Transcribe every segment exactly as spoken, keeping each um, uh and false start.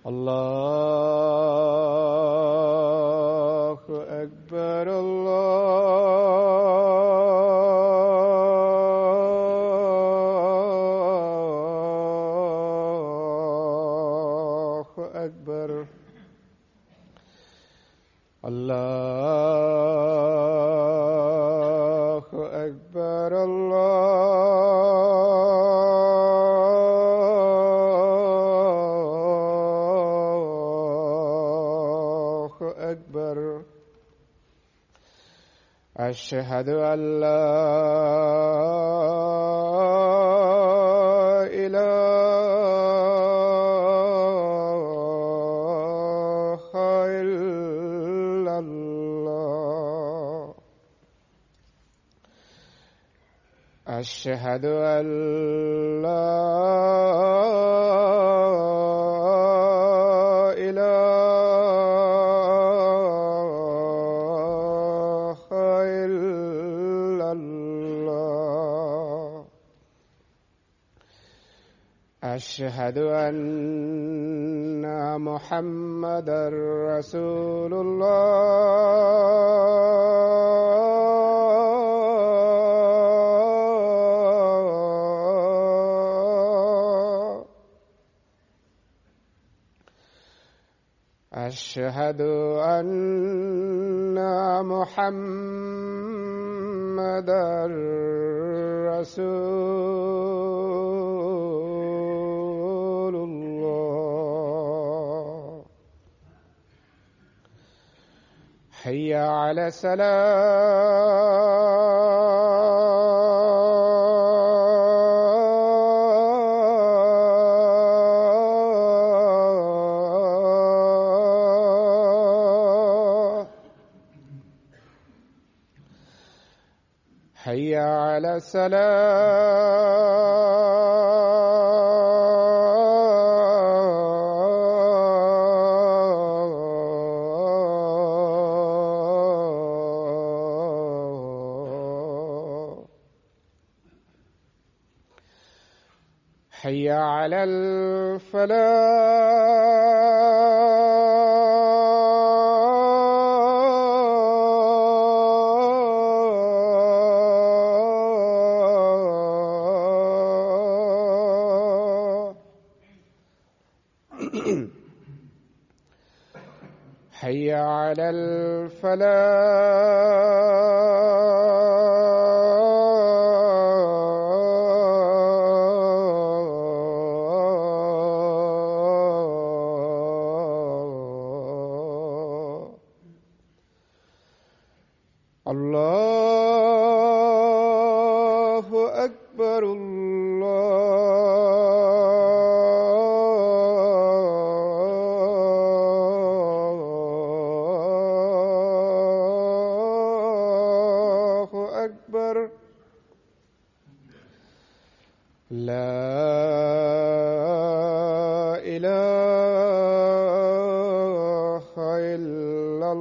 الله أكبر الله أكبر الله أكبر الله أكبر أشهد أن لا إله إلا الله أشهد أن لا إله إلا الله أشهد أن محمدا رسول الله أشهد أن محمدا رسول الله حي على السلام حي على السلام حي على الفلاح حي على الفلاح الله أكبر الله أكبر لا إله إلا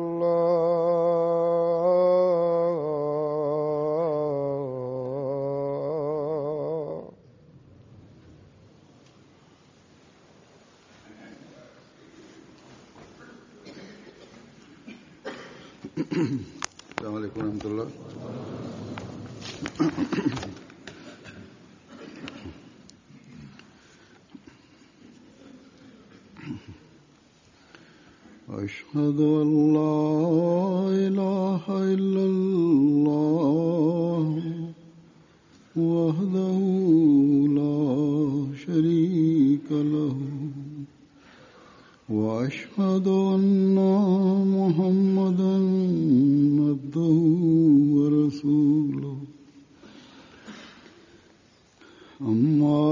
الله السلام عليكم ورحمة الله. أشهد أن لا إله إلا الله وحده لا شريك له وأشهد أن محمدا عبده ورسوله. أما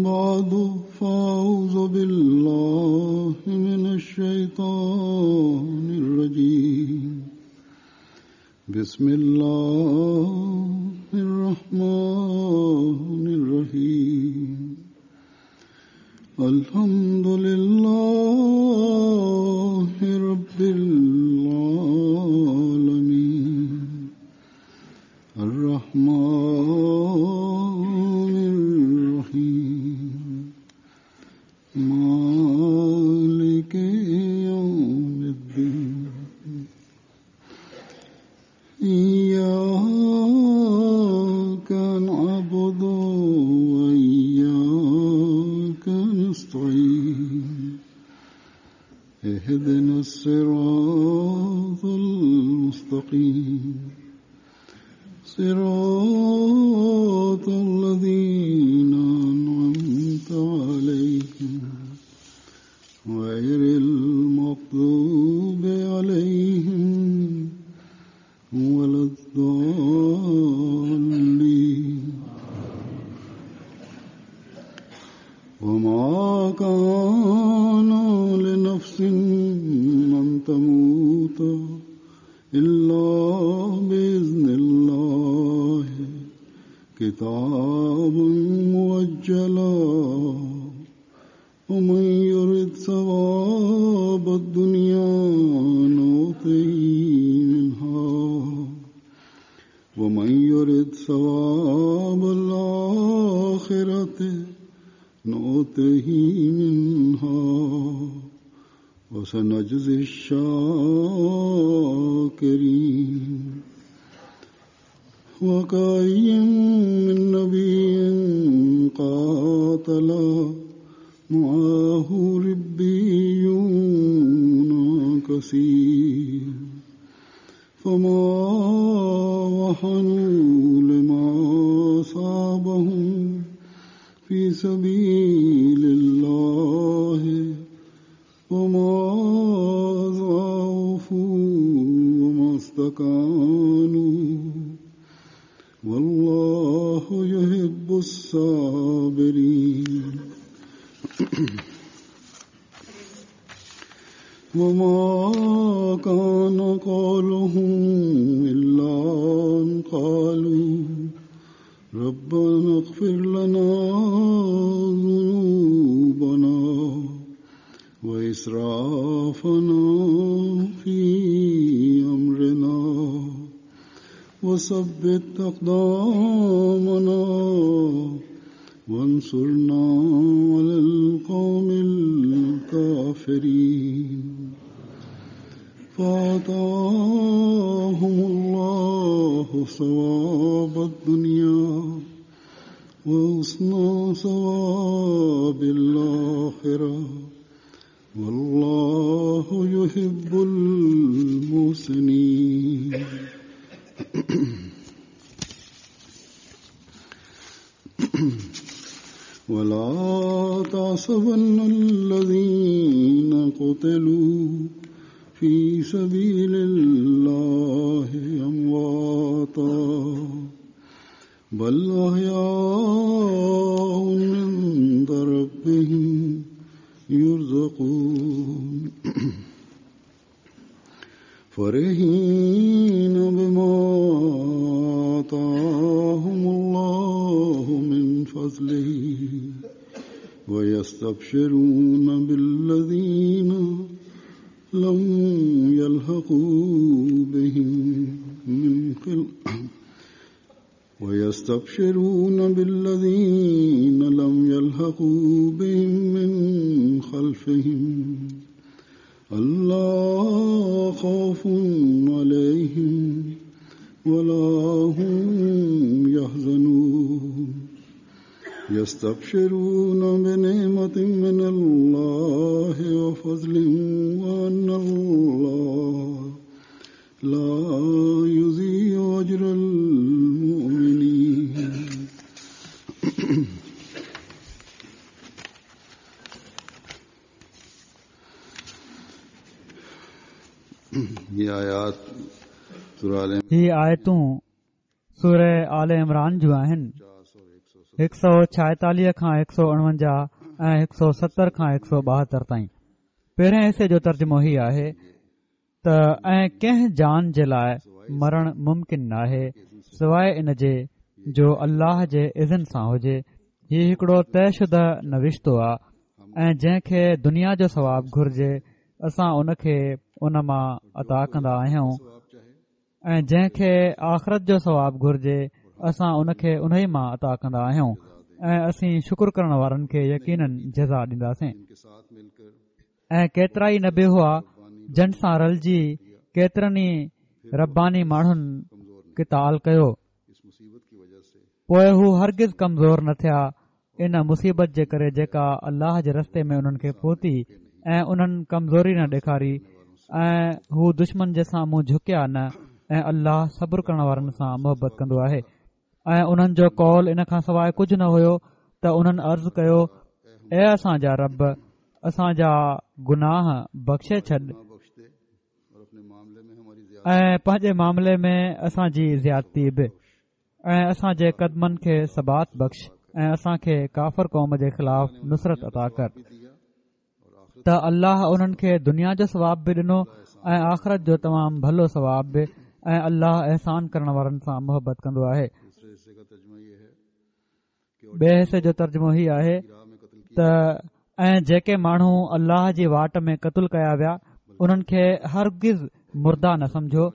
بعد فأعوذ بالله من الشيطان الرجيم. بسم الله الرحمن الرحيم. الحمد لله رب العالمين الرحمن الرحيم مالك اهدنا الصراط المستقيم صراط الذين أنعمت عليهم غير المغضوب عليهم ولا الضالين. وما كان لنفس أن تموت إلا بإذن الله كتابا مؤجلا ومن يرد ثواب الدنيا نؤته منها ومن يرد ثواب الآخرة نؤته منها وسنجزي الشاكرين. وكأي من نبي قاتل معه ربيون كثير فما وهنوا لما أصابهم في سبيل الله وما ضعفوا وما استكانوا والله يحب الصابرين. وما كان قولهم إلا أن قالوا ربنا اغفر لنا ذنوبنا وإسرافنا في أمرنا وثبت أقدامنا وانصرنا على القوم الكافرين. فآتاهم الله ثواب الدنيا وحسن ثواب الآخرة والله يحب المحسنين. ولا تحسبن الذين قتلوا في سبيل الله أمواتا بل أحياء عند ربهم يرزقون فرحين بما آتاهم الله من فضله ويستبشرون بالذين لم يلحقوا بهم من خلفهم ويستبشرون بالذين لم يلحقوا بهم من خلفهم ألا خوف عليهم ولا هم يحزنون. يستبشرون بنعمة من الله وفضل وأن الله لا يضيع أجر المؤمنين. هي آيتون سورة آل عمران جون آهن. هڪ سؤ ڇائيتاليهه کان هڪ سؤ اڻونجاهه ۽ هڪ سؤ ستر کان هڪ سؤ ٻاهتر تائين. پهرين حصي جو ترجمو هي آهي ته ۽ ڪنهن جان جي لاءِ مرڻ ممڪن ناهي سواءِ ان جي جو الله جي اذن سان هجي. هي هڪڙو طئي شده نوشتو آهي ۽ جنهن کي دنيا جو ثواب گهرجي اسان ان کي ان مان عطا ڪندا آهيون ۽ جنهن کي آخرت جو ثواب گهرجي اسان ان کي ان ئي مان عطا ڪندا آهيون ۽ اسين شڪر ڪرڻ وارن کي يقينن جزا ڏينداسين. ۽ ڪيترا ئي نبي هئا جن سان رلجي ڪيترن ئي رباني ماڻهن قتال ڪيو، پوءِ هو هرگز ڪمزور نه ٿيا ان مصيبت جي ڪري جيڪا الله جي رستي ۾ انهن کي پهتي ۽ انهن ڪمزوري نه ڏيکاري ۽ هو دشمن جي سامهون جهڪيا نه ۽ الله صبر ڪرڻ وارن سان محبت ڪندو آهي. ۽ انهن جو قول ان کان سواءِ ڪجهه نه هيو ته انهن عرض ڪيو، اي اسان جا رب، اسان جا گناهه بخشي ڇڏ ۽ پنهنجي معاملي ۾ اسان جي زيادتي به، ۽ اسان جي قدمن کي ثبات بخش ۽ اسان کي ڪافر قوم جي خلاف نصرت عطا ڪر. ته الله انهن کي دنيا جو ثواب به ڏنو ۽ آخرت جو تمام ڀلو ثواب به، ۽ الله احسان ڪرڻ وارن سان محبت ڪندو آهي. ٻئي حصي جو ترجمو هي آهي ته ۽ جيڪي ماڻهو الله جي واٽ ۾ قتل ڪيا ويا انهن کي هرگز مرده نه سمجهو،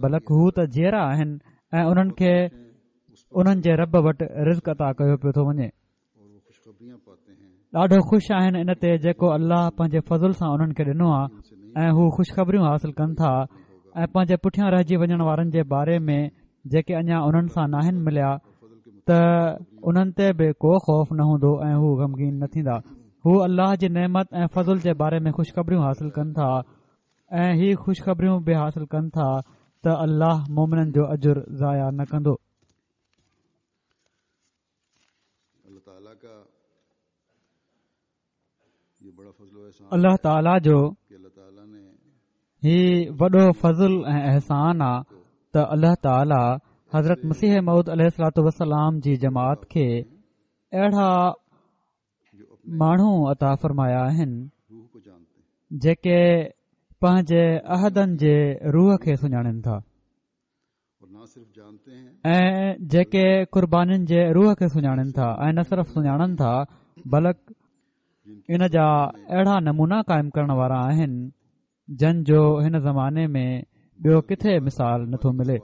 بلڪ هو ته جيئرا آهن ۽ انهن کي انهن جي رب وٽ رزق عطا ڪيو پيو ٿو وڃي. ڏاڍو خوش آهن ان تي جيڪو الله پنهنجي فضل سان انهن کي ڏنو آهي، ۽ هو خوشخبريون حاصل ڪن ٿا ۽ پنهنجي پٺيان رهجي وڃڻ وارن جي باري ۾ جيڪي اڃا انهن سان ناهن مليا ته انهن تي به ڪو خوف نه هوندو ۽ هو غمگين نه ٿيندا. هو الله جي نعمت ۽ فضل جي باري ۾ خوشخبريون حاصل ڪن ٿا ۽ هي خوشخبريون به حاصل ڪن ٿا ته الله مومنن جو اجر ضايع نه ڪندو. الله تعاليٰ جو هي وڏو فضل ۽ احسان آ ته الله تعاليٰ حضرت مسيح موعود عليه الصلوة والسلام جي جماعت کي اهڙا ماڻهو عطا فرمايا آهن جيڪي پنهنجي عهدن جي روح کي سڃاڻن ٿا ۽ جيڪي قربانين جي روح کي سڃاڻن ٿا، ۽ نه صرف سڃاڻن ٿا بلڪ ان جا اهڙا نمونا قائم ڪرڻ وارا آهن جن جو هن زماني ۾ ٻيو ڪٿي مثال نٿو ملي.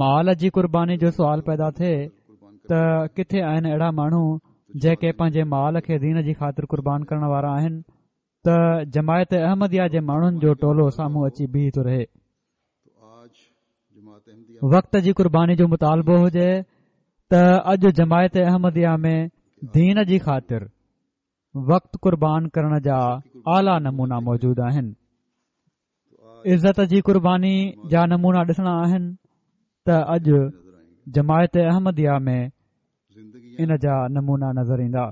مال جي قرباني جو سوال پيدا ٿئي ته ڪٿي آهن اهڙا ماڻهو جيڪي پنهنجي مال کي دين جي خاطر قربان ڪرڻ وارا آهن ته جماعت احمديه جي ماڻهن جو ٽولو سامهون اچي بيهي ٿو رهي. وقت جي قرباني جو مطالبو هجي ته اڄ جماعت احمديه ۾ دين جي خاطر وقت قربان ڪرڻ جا اعليٰ نمونا موجود آهن. عزت جي قرباني جا نمونا ڏسڻا آهن ته اڄ جماعت احمديه ۾ ان جا نمونا نظر ايندا.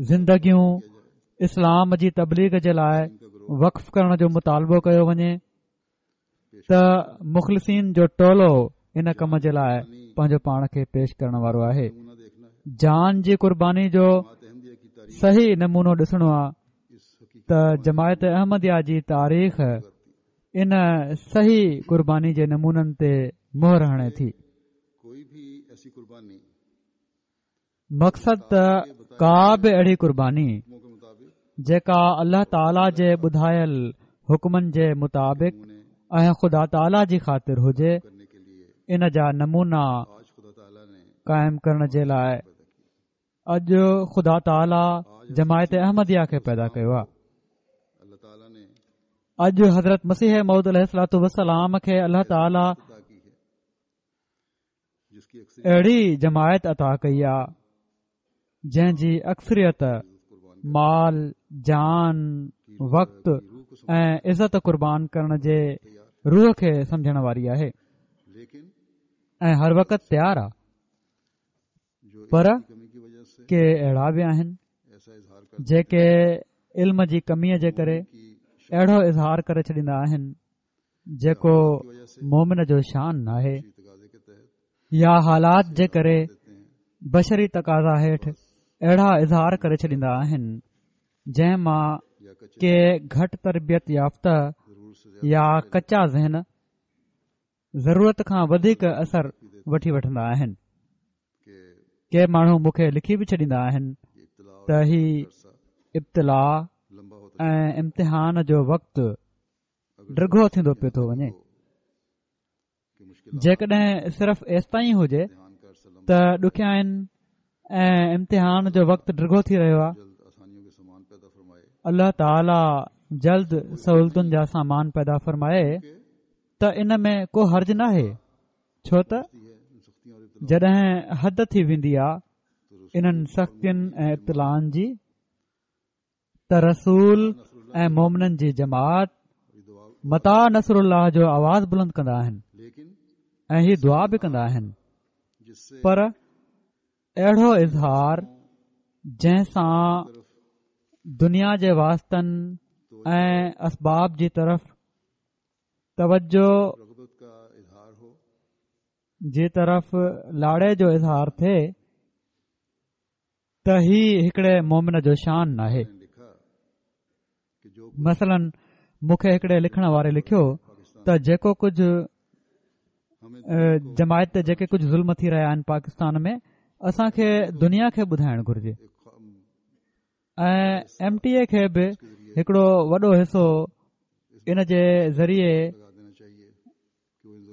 زندگيون اسلام جي تبليغ جي لاءِ وقف ڪرڻ جو مطالبو ڪيو وڃي ته مخلصين جو ٽولو ان ڪم جي لاءِ پنهنجو پاڻ کي پيش ڪرڻ وارو آهي. جان جي قرباني جو صحيح نمونو ڏسڻو آهي ته جماعت احمديه جي تاريخ ان صحيح قرباني جي نمونن تي مهر هڻي ٿي. مقصد ته ڪا به اهڙي قرباني جيڪا الله تعاليٰ جي ٻڌايل حڪمن جي مطابق ۽ خدا تعاليٰ جي خاطر هجي، ان جا نمونا قائم ڪرڻ جي لاءِ اڄ خدا تعاليٰ جماعت احمديه کي پيدا ڪيو آهي. اڄ حضرت مسيح موعود عليه الصلوة والسلام کي الله تعاليٰ اهڙي جماعت عطا ڪئي آهي جنهن جي اڪثريت مال، جان، وقت ۽ عزت قربان ڪرڻ جي روح کي سمجهڻ واري آهي ۽ هر وقت تيار آهي. پر ڪي اهڙا به آهن جيڪي علم جي ڪميءَ جي ڪري اهڙو اظهار ڪري ڇڏيندا آهن جيڪو مومن جو شان ناهي، يا حالات جي ڪري بشري تقاضا هيٺ اهڙا اظهار ڪري ڇڏيندا آهن جنهن مان ڪي گهٽ تربيت يافته يا ڪچا ذهن ضرورت کان وڌيڪ اثر وٺي وٺندا آهن. ڪي ماڻهو مون کي لکي به ڇڏيندا آهن ته هي ابتلا ۽ امتحان جو وقت ڊگهو ٿيندو پيو ٿو وڃي. جيڪڏهن صرف ايستائين هجي ته ڏکيائين ۽ امتحان جو وقت ڊگهو ٿي رهيو آهي، الله تعاليٰ جلد سهولتن جا سامان پيدا فرمائي ته ان ۾ ڪو حرج ناهي، ڇو ته جڏهن حد ٿي ويندي آهي انهن سختين ۽ ابتلائن جي ته رسول ۽ مومنن جي جماعت متيٰ نصر الله جو آواز بلند ڪندا آهن ۽ هي دعا به ڪندا آهن، پر اهڙو اظهار جنهن سان دنيا جي واسطن ۽ اسباب جي طرف توجه جي طرف لاڙي جو اظهار ٿئي ته هي هڪڙي مومن جو شان ناهي. مثلاً مون کي هڪڙي لکڻ واري لکيو ته جيڪو ڪجهه جماعت تي جيڪي ڪجهه ظلم ٿي رهيا آهن پاڪستان ۾ اسان کي دنيا کي ٻڌائڻ گهرجي ۽ ايم ٽي اي کي به هڪڙو وڏو حصو ان جي ذريعي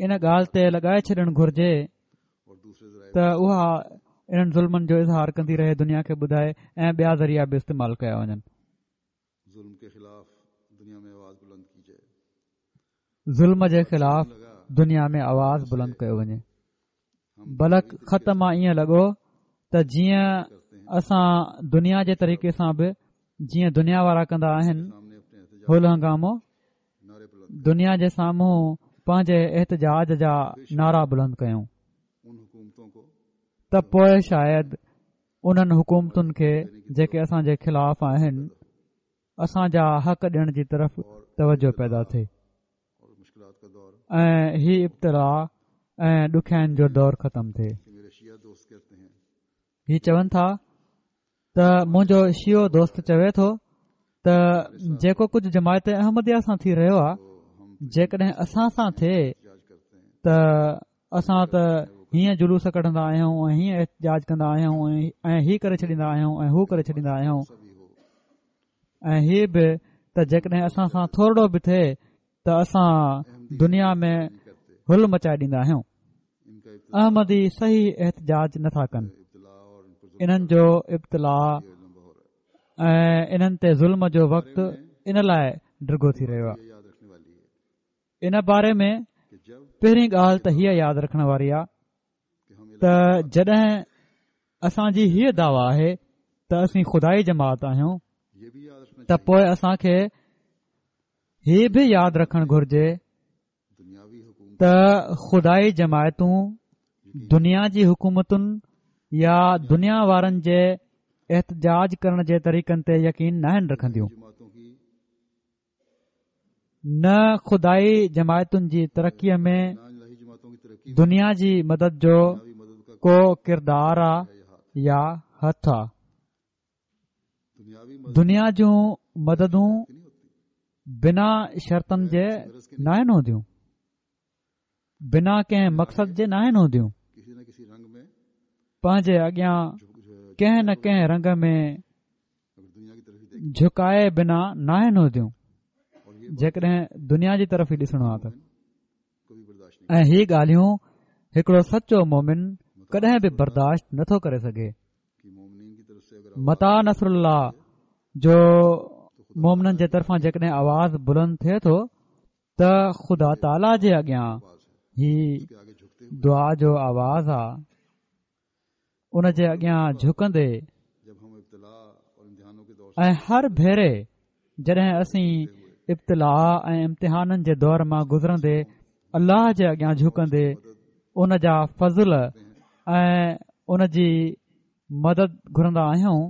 ان ڳالهه تي لڳائي ڇڏڻ گهرجي ته اها انهن ظلمن جو اظهار ڪندي رهي، دنيا کي ٻڌائي ۽ ٻيا ذريعا به استعمال ڪيا وڃن. ظلم جي خلاف دنيا ۾ آواز بلند ڪيو وڃي. بلڪ خط مان ائين لڳو ته جيئن اسان دنيا جي طريقي سان به جيئن دنيا وارا ڪندا آهن هل هنگامو، دنيا جي سامهون پنهنجي احتجاج جا نعرا بلند ڪيون ته پوءِ شايد انهن حڪومتن کي جيڪي اسان جي خلاف آهن اسان جا حق ڏيڻ جي طرف توجه پيدا ٿئي ۽ هي ابتلا ۽ ڏکيائين جو دور ختم ٿئي. هي چون ٿا ته منهنجو شيعو دوست چوي ٿو ته جيڪو ڪجهه جماعت احمديه سان ٿي رهيو آهي جيڪڏهن اسان سان ٿئي ته اسان ته هيئن جلوس ڪڍندا آهيون ۽ هيئن احتجاج ڪندا آهيون ۽ هي ڪري ڇڏيندا آهيون ۽ هو ڪري ڇڏيندا آهيون، ۽ هي به ته جيڪڏهن اسان سان ٿورڙو به ٿئي ته اسان دنيا ۾ هل مچائي ڏيندا آهيون. احمدي صحيح احتجاج نٿا ڪن، انهن جو ابتلا ۽ انهن تي ظلم جو وقت ان لاءِ ڊگهو ٿي رهيو آهي. ان باري ۾ پهرين ڳالهه ته هيءَ ياد رکڻ واري آهي ته جڏهن اسان جي هيءَ دعويٰ آهي ته اسين خدائي جماعت آهيون ته پوءِ اسان کي هي به ياد رکڻ گهرجي ته خدائي جماعتون دنيا جي حڪومتن يا دنيا وارن جي احتجاج ڪرڻ جي طريقن تي يقين ناهن رکنديون. نه خدائي جماعتن جي ترقيءَ ۾ دنيا جي مدد جو ڪو ڪردار آ يا هٿ آ. دنيا جون مددون بنا شرطن جي ناهن هونديون، بنا ڪنهن مقصد جي ناهن هونديون. پنهنجي اڳيان ڪنهن نه ڪنهن رنگ ۾ جهڪائي بنا ناهن هونديون. جيڪڏهن دنيا جي طرف ئي ڏسڻو آهي ته ۽ هي ڳالهيون هڪڙو سچو مومن ڪڏهن به برداشت نٿو ڪري سگهي. متيٰ نصر الله جو مومنن جي طرفان جيڪڏهن آواز بلند ٿئي ٿو ته خدا تعاليٰ جي اڳيان هي دعا جو آواز آ، ان جي اڳيان جهڪندي ۽ هر ڀيري جڏهن اسين ابتلا ۽ امتحانن جي دور مان گذرندي الله جي اڳيان جهڪندي ان جا فضل ۽ ان جي مدد گهرندا آهيون،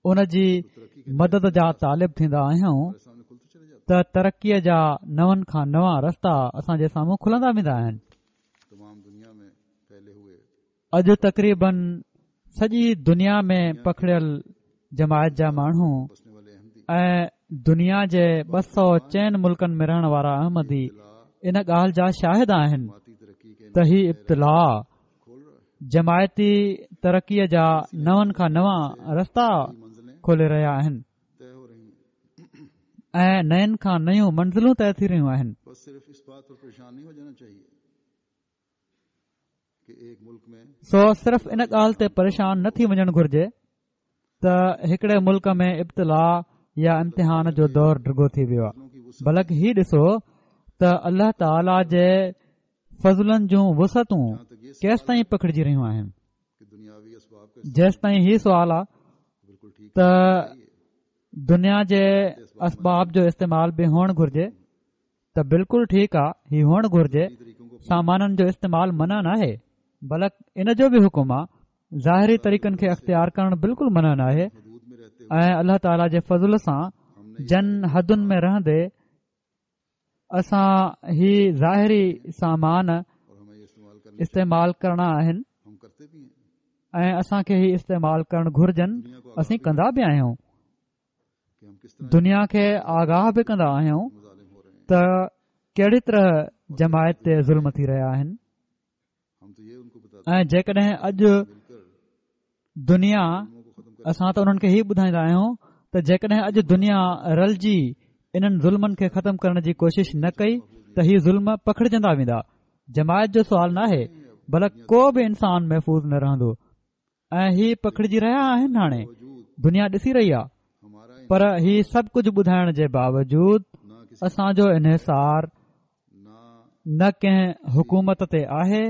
ان جي مدد جا طالب ٿيندا آهيون ته ترقيءَ جا نون کان نوان رستا اسان جي سامهون کلندا ويندا آهن. اڄ تقريبن سڄي دنيا ۾ پکڙيل جماعت جا ماڻهو ۽ دنيا جي ٻه سؤ چئن ملڪن ۾ رهڻ وارا احمدي ان ڳالهه جا شاهد آهن ته هي ابتلا جماعتي ترقيءَ جا نون کان نوان رستا کولي رهيا آهن ۽ نين کان نيون منزلون طئي ٿي رهيون آهن. سو صرف ان ڳالهه تي پريشان نه ٿي وڃڻ گهرجي ته هڪڙي ملڪ ۾ ابتلا يا امتحان جو دور ڊگهو ٿي ويو آهي، بلڪ هي ڏسو ته الله تعاليٰ جي فضلن جون وسعتون ڪيستائين پکڙجي رهيون آهن. جيستائين هي سوال آهي ته دنيا جي اسباب جو استعمال به هئڻ گهرجي ته بلڪل ٺيڪ آهي، هي هئڻ گهرجي. سامانن جو استعمال منع ناهي، بلڪ ان جو به حڪم آهي. ظاهري طريقن کي اختيار ڪرڻ بلڪل منع ناهي ۽ الله تعاليٰ جي فضل سان جن حدن ۾ رهندي اسان هي ظاهري سامان استعمال ڪرڻا آهن ۽ اسان کي هي استعمال ڪرڻ گهرجن، اسين ڪندا به آهيون. دنيا کي آگاهه به ڪندا آهيون ته ڪهڙي طرح جماعت تي ظلم ٿي رهيا آهن. ۽ جيڪڏهن اڄ دنيا، اسان ته انهن کي هي ٻڌائيندا آهيون ته جيڪڏهن اڄ دنيا رلجي انهن ظلمن کي ختم ڪرڻ جي ڪوشش نه ڪئي ته هي ظلم پکڙجندا ويندا. جماعت جو سوال ناهي، بلڪ ڪو به انسان محفوظ نه رهندو ۽ هي پکڙجي رهيا آهن. هاڻي دنيا ڏسي رهي آهي، پر هي سڀ ڪجهه ٻڌائڻ جي باوجود اسان جو انحصار نه ڪنهن حڪومت تي آهي،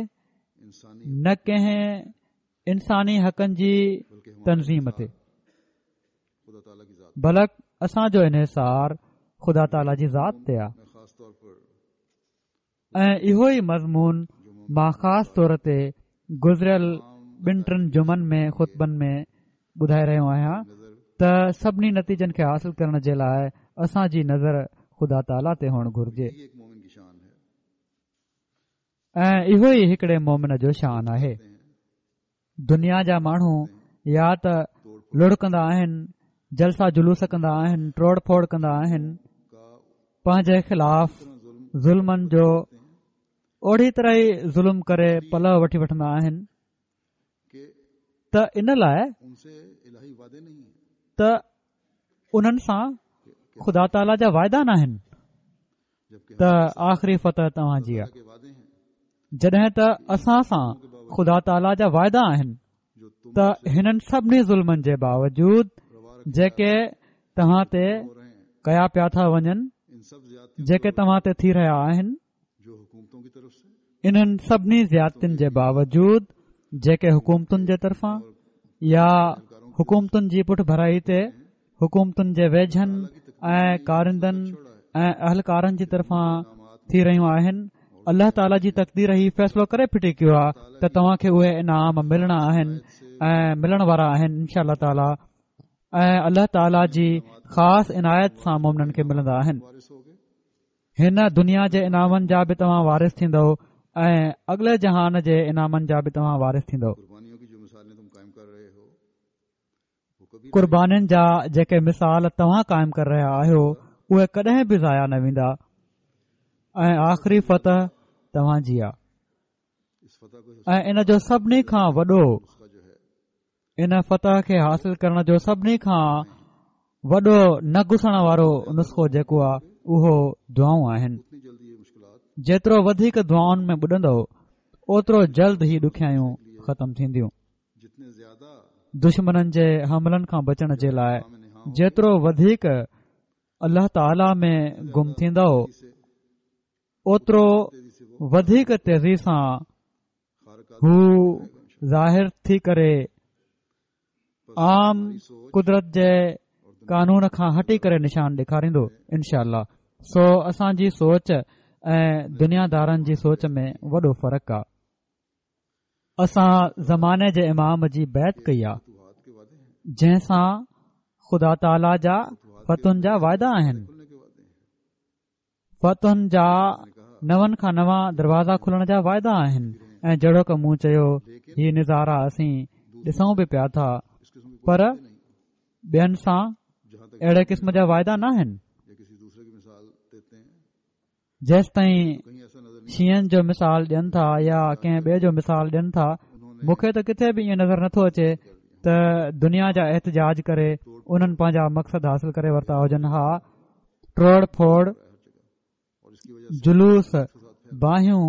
نه ڪنهن انساني حقن جي تنظيم تي، بلڪ اسان جو انحصار خدا تعاليٰ جي ذات تي آهي. ۽ اهو ئي مضمون مان خاص طور تي گذريل ٻن ٽن جمعن ۾ خطبن ۾ ٻڌائي رهيو آهيان ته سڀني نتيجن کي حاصل ڪرڻ جي لاءِ اسان جي نظر خدا تعاليٰ تي هئڻ گهرجي ۽ اهو ئي هڪڙي مومن جو شان آهي. دنيا جا ماڻهو يا ته لڙ ڪندا آهن، جلسا جلوس ڪندا آهن، ٽوڙ ڦوڙ ڪندا آهن، پنهنجي خلاف ظلمن جو اوڙي طرح ئي ظلم ڪري پلئه وٺي وٺندا آهن ته ان لاءِ ته انهن سان خدا تعاليٰ جا واعدا ناهن ته آخري فتح توهان جي آهي، جڏهن ته اسان سان خدا تعاليٰ جا واعدا آهن ته هنن سڀني ظلمن جي باوجود جيڪي توهان تي ڪيا پيا ٿا وڃن، جيڪي توهان تي ٿي رهيا آهن، انهن سڀني زيادتين جي باوجود جيڪي حڪومتن جي طرفان يا حڪومتن جي پٺ ڀرائي تي حڪومتن جي ويجهن ۽ ڪارندن ۽ اهلڪارن جي طرفان ٿي رهيون آهن، الله تعاليٰ جي تقدير هي فيصلو ڪري ڦٽي ڪيو آهي ته توهان کي اهي انعام ملڻا آهن ۽ ملڻ وارا آهن انشاء الله تعاليٰ، ۽ الله تعاليٰ جي خاص عنايت سان مومنن کي ملندا آهن. هن دنيا جي انعامن جا به توهان وارث ٿيندؤ ۽ اڳلي جهان جي انعامن جا به توهان وارث ٿيندؤ. قربانين جا جيڪي مثال توهان قائم ڪري رهيا آهيو اهي ڪڏهن به ضايع نه ويندا ۽ آخري فتح توهان جي آهي. ۽ ان جو سڀني کان وڏو، ان فتح کي حاصل ڪرڻ جو سڀني کان وڏو نه گسڻ وارو نسخو جيڪو آهي اهو دعائون آهن. جيترو وڌيڪ دعائن ۾ ٻڏندؤ اوترو جلد هي ڏکيائيون ختم ٿينديون. دشمنن جي حملن کان بچڻ جي لاءِ جيترو وڌيڪ الله تعاليٰ ۾ گم ٿيندؤ اوترو وڌيڪ تيزي سان هو ظاهر ٿي ڪري عام قدرت جي قانون کان هٽي ڪري نشان ڏيکاريندو انشاء الله. سو اسان جي سوچ ۽ دنيادارن جي سوچ ۾ وڏو فرق آهي. اسان زماني جي امام جي بيعت ڪئي آهي جنهن سان خدا تعاليٰ جا فتحن جا واعدا آهن، فتحن جا نون کان نوان دروازا کلڻ جا واعدا آهن. ۽ جهڙوڪ مون چيو هي نظارا اسين ڏسون به پيا ٿا، پر ٻين سان اهڙي قسم جا واعدا ناهن. جيستائين شيعن جو مثال ڏين ٿا يا ڪنهن ٻئي جو مثال ڏين ٿا، مون کي ته ڪٿي به ائين نظر نٿو اچي ته دنيا جا احتجاج ڪري انهن پنهنجا مقصد حاصل ڪري ورتا هجن ها. ٽوڙ ڦوڙ، جلوس، باهيون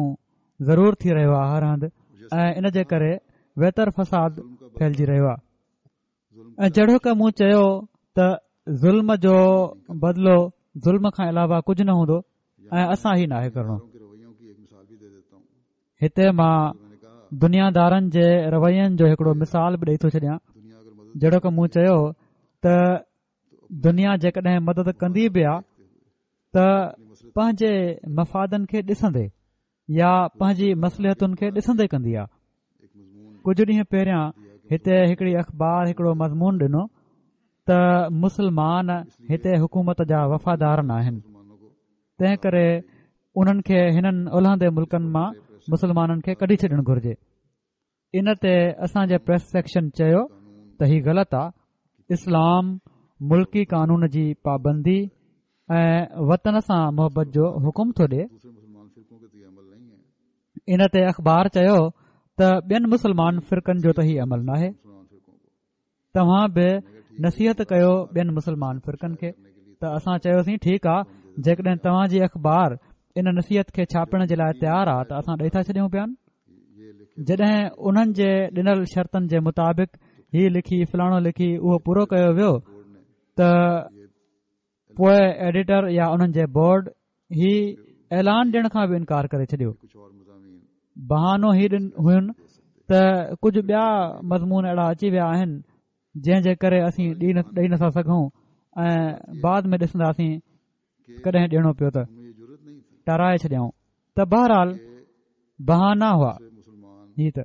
ضرور ٿي رهيو آهي هر هنڌ، ۽ ان جي ڪري ويتر فساد ڦهلجي رهيو آهي. ۽ جهڙوڪ مون چيو ته ظلم جو بدلو ظلم کان علاوه ڪجهه نه هوندو ۽ اسان هي ناهي ڪرڻو. هتي مان دنيادارن جي روين جو هڪڙو مثال به ڏئي ٿو ڇڏيان. جهڙوڪ مون چيو ته دنيا جيڪڏهن مدد ڪندي به آ ته پنهنجي مفادن کي ڏسندي يا پنهنجي مصلحتن کي ڏسندي ڪندي آ. ڪجهه ڏينهن پهريان هتي هڪڙي اخبار هڪڙو مضمون ڏنو ته مسلمان هتي حڪومت جا وفادار نه آهن، تنهن ڪري انهن کي هنن الهندي ملڪن مان مسلمانن کي ڪڍي ڇڏڻ گهرجي. ان تي اسان جي پريس سيڪشن چيو ته هي غلط آ. اسلام ملڪي قانون جي پابندي ۽ وطن سان محبت جو حڪم ٿو ڏئي. ان تي اخبار چيو ته ٻين مسلمان فرقن جو ته هي عمل ناهي، توهان به نصيحت ڪيو ٻين مسلمان فرقن کي. ته اسان چيوسين ٺيڪ آ، جيڪڏهن توهان جي اخبار ان نصيحت کي ڇاپڻ جي لاءِ تيار آ ته اسان ڏئي ٿا ڇڏيون بيان. جڏهن انهن جي ڏنل شرطن جي مطابق هي لکي فلاڻو لکي اهو پورو ڪيو ويو ته پوءِ ايڊيٽر يا انهن جي بورڊ هي اعلان ڏيڻ کان به انڪار ڪري ڇڏيو. بهانو هي ڏن هين ته ڪجهه ٻيا مضمون اهڙا اچي ويا آهن جنهن جي ڪري اسين ڏئي نٿا سگهون ۽ بعد ۾ ڏسنداسين ڪڏهن ڏيڻو پيو ته ٽارائي ڇڏيائون. ته بهرحال بهانا هئا. هي ته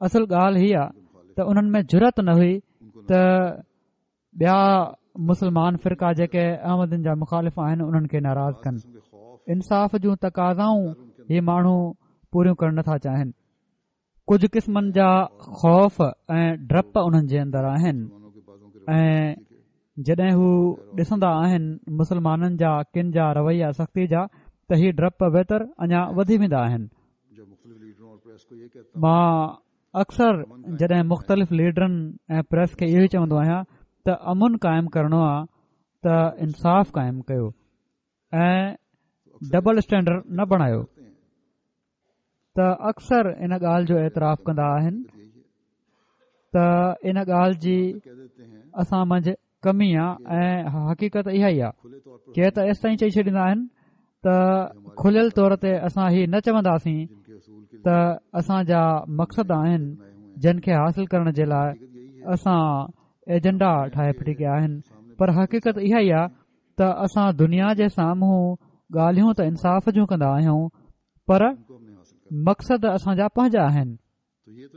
اصل ڳالهه هي آهي ته انهن ۾ جرئت نه هئي ته ٻيا مسلمان فرقا جيڪي احمدين جا مخالف آهن انهن کي ناراض ڪن. انصاف جون تقاضائون هي ماڻهو پوريون ڪرڻ نٿا چاهين. ڪجهه قسمن جا خوف ۽ ڊپ انهن جي اندر آهن ۽ جڏهن هو ڏسندا آهن مسلمانن جا ڪن جا رويا سختي جا ته هي ڊپ ويتر اڃا وڌي ويندا آهن. مان اڪثر جڏهن مختلف ليڊرن ۽ پريس کي اهو ئي چوندو آهيان ته امن قائم ڪرڻو آهي ته انصاف قائم ڪيو ۽ ڊبل اسٽينڊرڊ نه بڻايو. ته اڪثر ان ڳالهه جو اعتراف ڪندا آهن ته ان ڳالهه جي اسان منجهه ڪمي آهي ۽ حقيقت اها ئي آهي. ڪي ته ايستائين چئي ڇڏيندا آهن ته کليل طور تي اسان هي نه چونداسين ته اسان جا مقصد آهن جن کي حاصل ڪرڻ جي لاءِ اسان ايجنڊا ٺاهي ڦٽي ڪيا آهن، پر حقيقت اها ئي آهي ته اسان دنيا جي سامهون ڳالهيون ته انصاف جون ڪندا آهيون پر مقصد اسان جا پنهنجا آهن،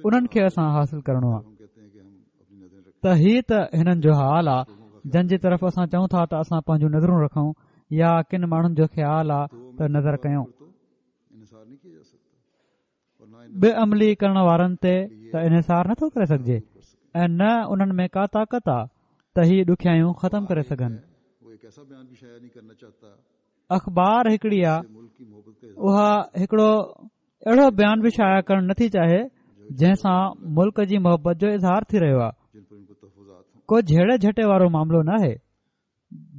انهن کي اسان حاصل ڪرڻو آهي. ته هي ته هنن جو حال آهي جن جي طرف اسان چئون ٿا ته اسان پنهنجون نظرون رکون يا ڪن ماڻهن جو خيال آهي ته نظر ڪيون. بي عملي ڪرڻ وارن تي ته انحصار نٿو ڪري سگهجي ۽ نه انهن ۾ ڪا طاقت آهي ته هي ڏکيائيون ختم ڪري سگهن. اخبار هڪڙي آهي، اها هڪڙو اهڙو بيان به شايع ڪرڻ نٿي چاهي جنهن سان ملڪ جي محبت جو اظهار ٿي رهيو آهي. ڪو جهيڙي جهٽي وارو معاملو نه آهي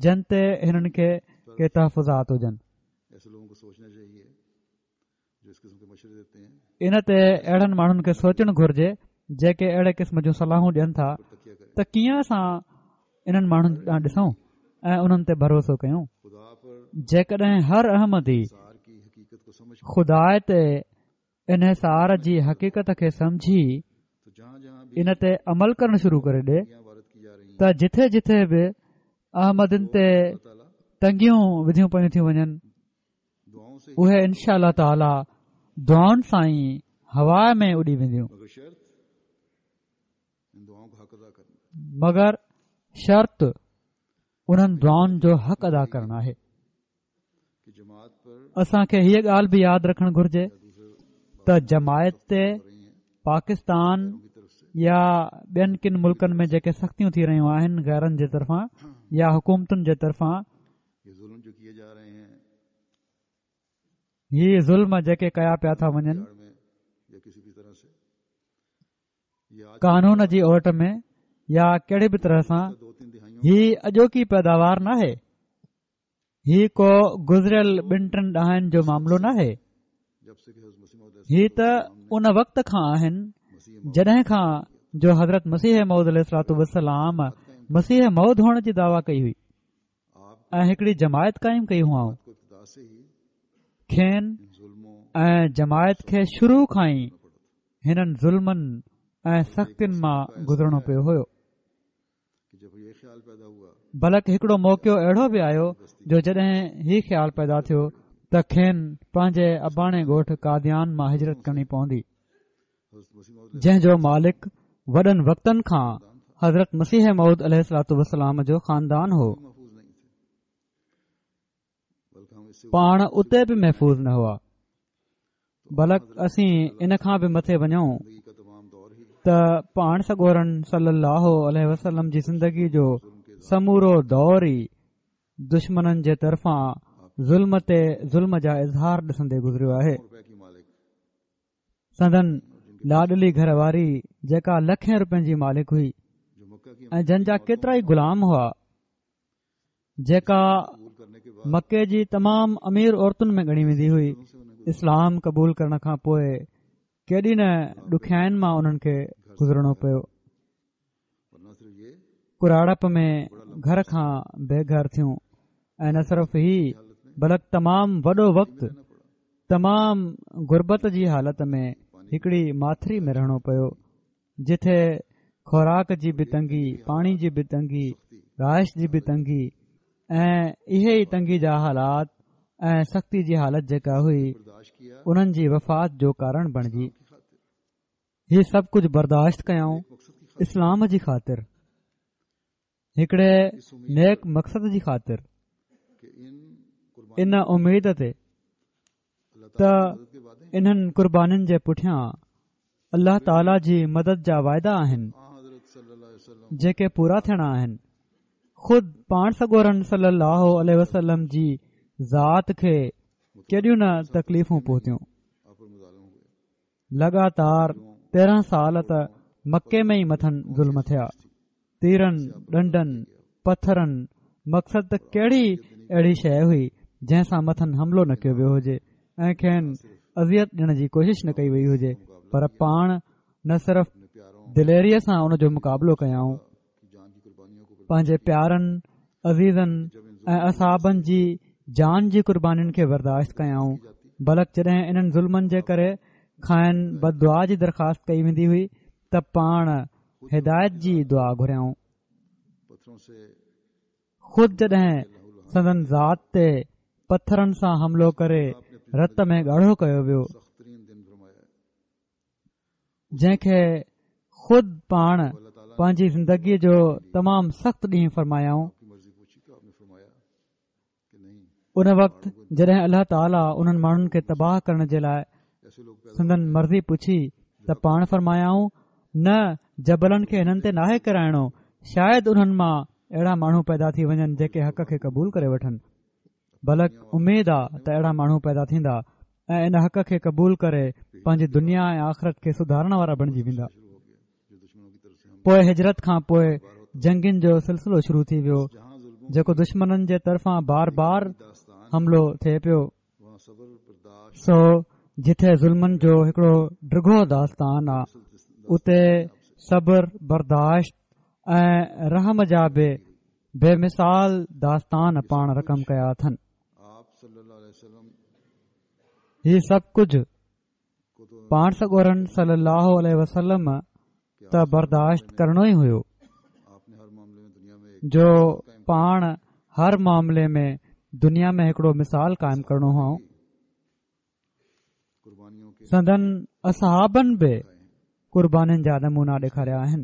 جن تي هنن کي ڪي تحفظات هجن. ان تي اهڙن ماڻهن کي سوچڻ گهرجي جيڪي اهڙي قسم جون صلاحون ڏين ٿا ته ڪيئن اسان انهن ماڻهن ڏانهن ڏسون ۽ انهن تي ڀروسو ڪيون. جيڪڏهن هر احمدي خدا تي انحصار جي حقيقت کي سمجهي ان تي عمل ڪرڻ شروع ڪري ڏي ته جٿي جٿي به احمدين تي تنگيون وڌيون پيون ٿيون وڃن اهي انشاء الله تعاليٰ دعائن سان ئي هوا ۾ اڏي وينديون. مگر شرط انهن دعائن جو حق ادا ڪرڻ آهي. اسان کي هيءَ ڳالهه به ياد رکڻ گهرجي ته جماعت تي پاڪستان يا ٻين ڪن ملڪن ۾ جيڪي سختيون ٿي رهيون آهن غيرن جي طرفان يا حڪومتن جي طرفان، هي ظلم جيڪي ڪيا پيا ٿا وڃن قانون جي اوٽ ۾ يا ڪهڙي به طرح سان، هي اڄوڪي پيداوار ناهي، هي ڪو گذريل ٻن ٽن ڏهائن جو معاملو ناهي. هي ته ان وقت کان آهن جڏهن کان جو حضرت مسيح موعود عليه الصلوة والسلام مسيح موعود هئڻ جي دعويٰ ڪئي هئي ۽ هڪڙي جماعت قائم ڪئي هئائون. کين ۽ جماعت کي شروع کان ئي هنن ظلمن ۽ سختين مان گذرڻو پيو هيو. بلڪ هڪڙو موقعو اهڙو به آيو جو جڏهن هي خيال پيدا ٿيو ته کين پنهنجي اباڻي ڳوٺ قاديان مان هجرت ڪرڻي پوندي، جنهن جو مالڪ وڏن وقتن کان حضرت مسيح موعود عليه الصلوة والسلام جو خاندان هو. پاڻ اتي به محفوظ نه هئا، بلڪ اسين ان کان به مٿي وڃون ته پاڻ سڳورن صلي الله عليه وسلم جي زندگي جو سمورو دور ئي دشمنن جي طرفان ظلم تي ظلم جا اظهار ڏسندي گذريو آهي. سندن لاڏلي گهر واري جيڪا لکين روپين جي مالڪ هئي ۽ جن جا ڪيترائي غلام هئا، جيڪا مڪي جي تمام امير عورتن ۾ ڳڻي ويندي هئي، اسلام قبول ڪرڻ کان پوءِ ڪيڏي نه ڏکيائين مان انهن کي گذرڻو پيو. ڪراڙپ ۾ گهر کان بي گهر ٿيون ۽ نه صرف هي بلڪ تمام وڏو وقت تمام غربت جي حالت ۾ هڪڙي ماٿري ۾ رهڻو پيو، جتي خوراڪ جي به تنگي، پاڻي جي به تنگي، رهائش جي به تنگي ۽ اهي ئي تنگي جا حالات ۽ سختي جي حالت جيڪا هئي انهن جي وفات جو ڪارڻ بڻجي. هي سڀ ڪجهه برداشت ڪيائون اسلام جي خاطر، هڪڙي نيڪ مقصد جي خاطر، ان اميد تي ته انهن قربانين جي پٺيان الله تعاليٰ جي مدد جا واعدا آهن جيڪي پورا ٿيڻا آهن. خود پاڻ سڳورن صلي الله عليه وسلم جي ذات کي ڪيڏيون نه تڪليفون پهتيون. لڳاتار تيرهن سال ته مڪي ۾ ئي مٿن ظلم ٿيا، تيرن، ڏنڊن، پٿرن، مقصد ته ڪهڙي اهڙي شيءِ هئي جنهن سان مٿن حملو نه ڪيو ويو هجي ۽ کين اذيت ڏيڻ جي ڪوشش نه ڪئي وئي هجي، پر پاڻ نه صرف دليريءَ سان ان جو مقابلو ڪيائون، پنهنجي پيارن، عزيزن ۽ اصحابن جي جان جي قربانين کي برداشت ڪيائون، بلڪ جڏهن انهن ظلمن جي ڪري کانئن بددعا جي درخواست ڪئي ويندي هئي ته پاڻ هدايت جي دعا گهريائون. خود جڏهن سندن ذات تي پٿرن سان حملو ڪري رت ۾ ڳاڙهو ڪيو ويو، جنهن کي خود پاڻ پنهنجي زندگيءَ جو تمام سخت ڏينهن فرمايائون، ان وقت جڏهن الله تعاليٰ انهن ماڻهن کي تباهه ڪرڻ جي لاءِ سندن مرضي پڇي ته پاڻ فرمايائون، نه، جبلن کي هنن تي ناهي ڪرائڻو، شايد انهن مان اهڙا ماڻهو پيدا ٿي وڃن جيڪي حق کي قبول ڪري وٺن، بلڪ اميد آ ته اهڙا ماڻهو پيدا ٿيندا ۽ ان حق کي قبول ڪري پنهنجي دنيا ۽ آخرت کي سڌارڻ وارا بڻجي ويندا. پوءِ هجرت کان پوءِ جنگين جو سلسلو شروع ٿي ويو، جيڪو دشمنن جي طرفان بار بار حملو ٿئي پيو. سو جتي ظلمن جو هڪڙو ڊگهو داستان آ، اتي صبر، برداشت ۽ رحم جا به بي مثال داستان پاڻ رقم ڪيا اٿن. هي سڀ ڪجهه پاڻ سڳورن صلي الله عليه وسلم ته برداشت ڪرڻو ئي هيو، جو پاڻ هر معاملي ۾ دنيا ۾ هڪڙو مثال قائم ڪرڻو هو. سندن اصحابن به قربانين جا نمونا ڏيکاريا آهن،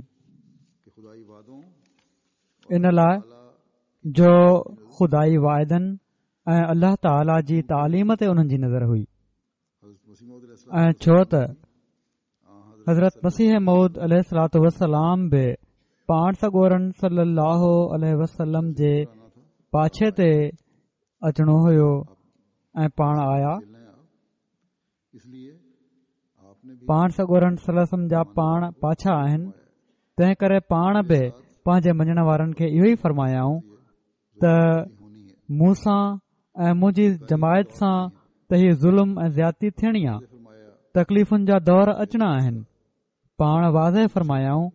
ان لاءِ جو خدائي واعدن ۽ الله تعاليٰ جي تعليم تي انهن جي نظر هئي، ۽ ڇو ته حضرت مسيح موعود عليه الصلوة والسلام به پاڻ سڳورن صلي الله عليه وسلم جي پاڇي تي اچڻو هيو ۽ پاڻ آيا. پاڻ سڳورن صلي الله عليه وسلم جا پاڻ پاڇا آهن، تنهن ڪري پاڻ به پنهنجي مڃڻ وارن کي اهو ئي فرمايائون ته مون سان ۽ منهنجي جماعت سان ته هي ظلم ۽ زيادتي ٿيڻي آ، تڪليفن جا دور اچڻا آهن. پاڻ واضح فرمايائون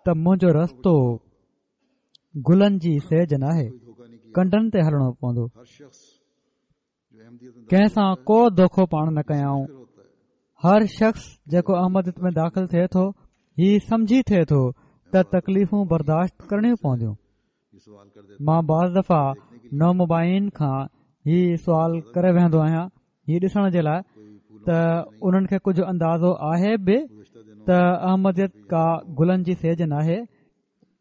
ته منهنجو رستو گلن جي سيج ناهي، ڪنڊن تي هلڻو پوندو. ڪنهن سان ڪو دوکو پاڻ نه ڪيائون. هر شخص جيڪو احمديت ۾ داخل ٿئي ٿو هي سمجهي ٿئي ٿو ته تڪليفون برداشت ڪرڻيون پونديون. مان بعض دفعا نومبائعين کان هي سوال ڪري ويهندو آهيان هي ڏسڻ جي لاءِ ته انهن کي ڪجهه اندازو آهي به ته احمديت ڪا گلن جي سيج ناهي.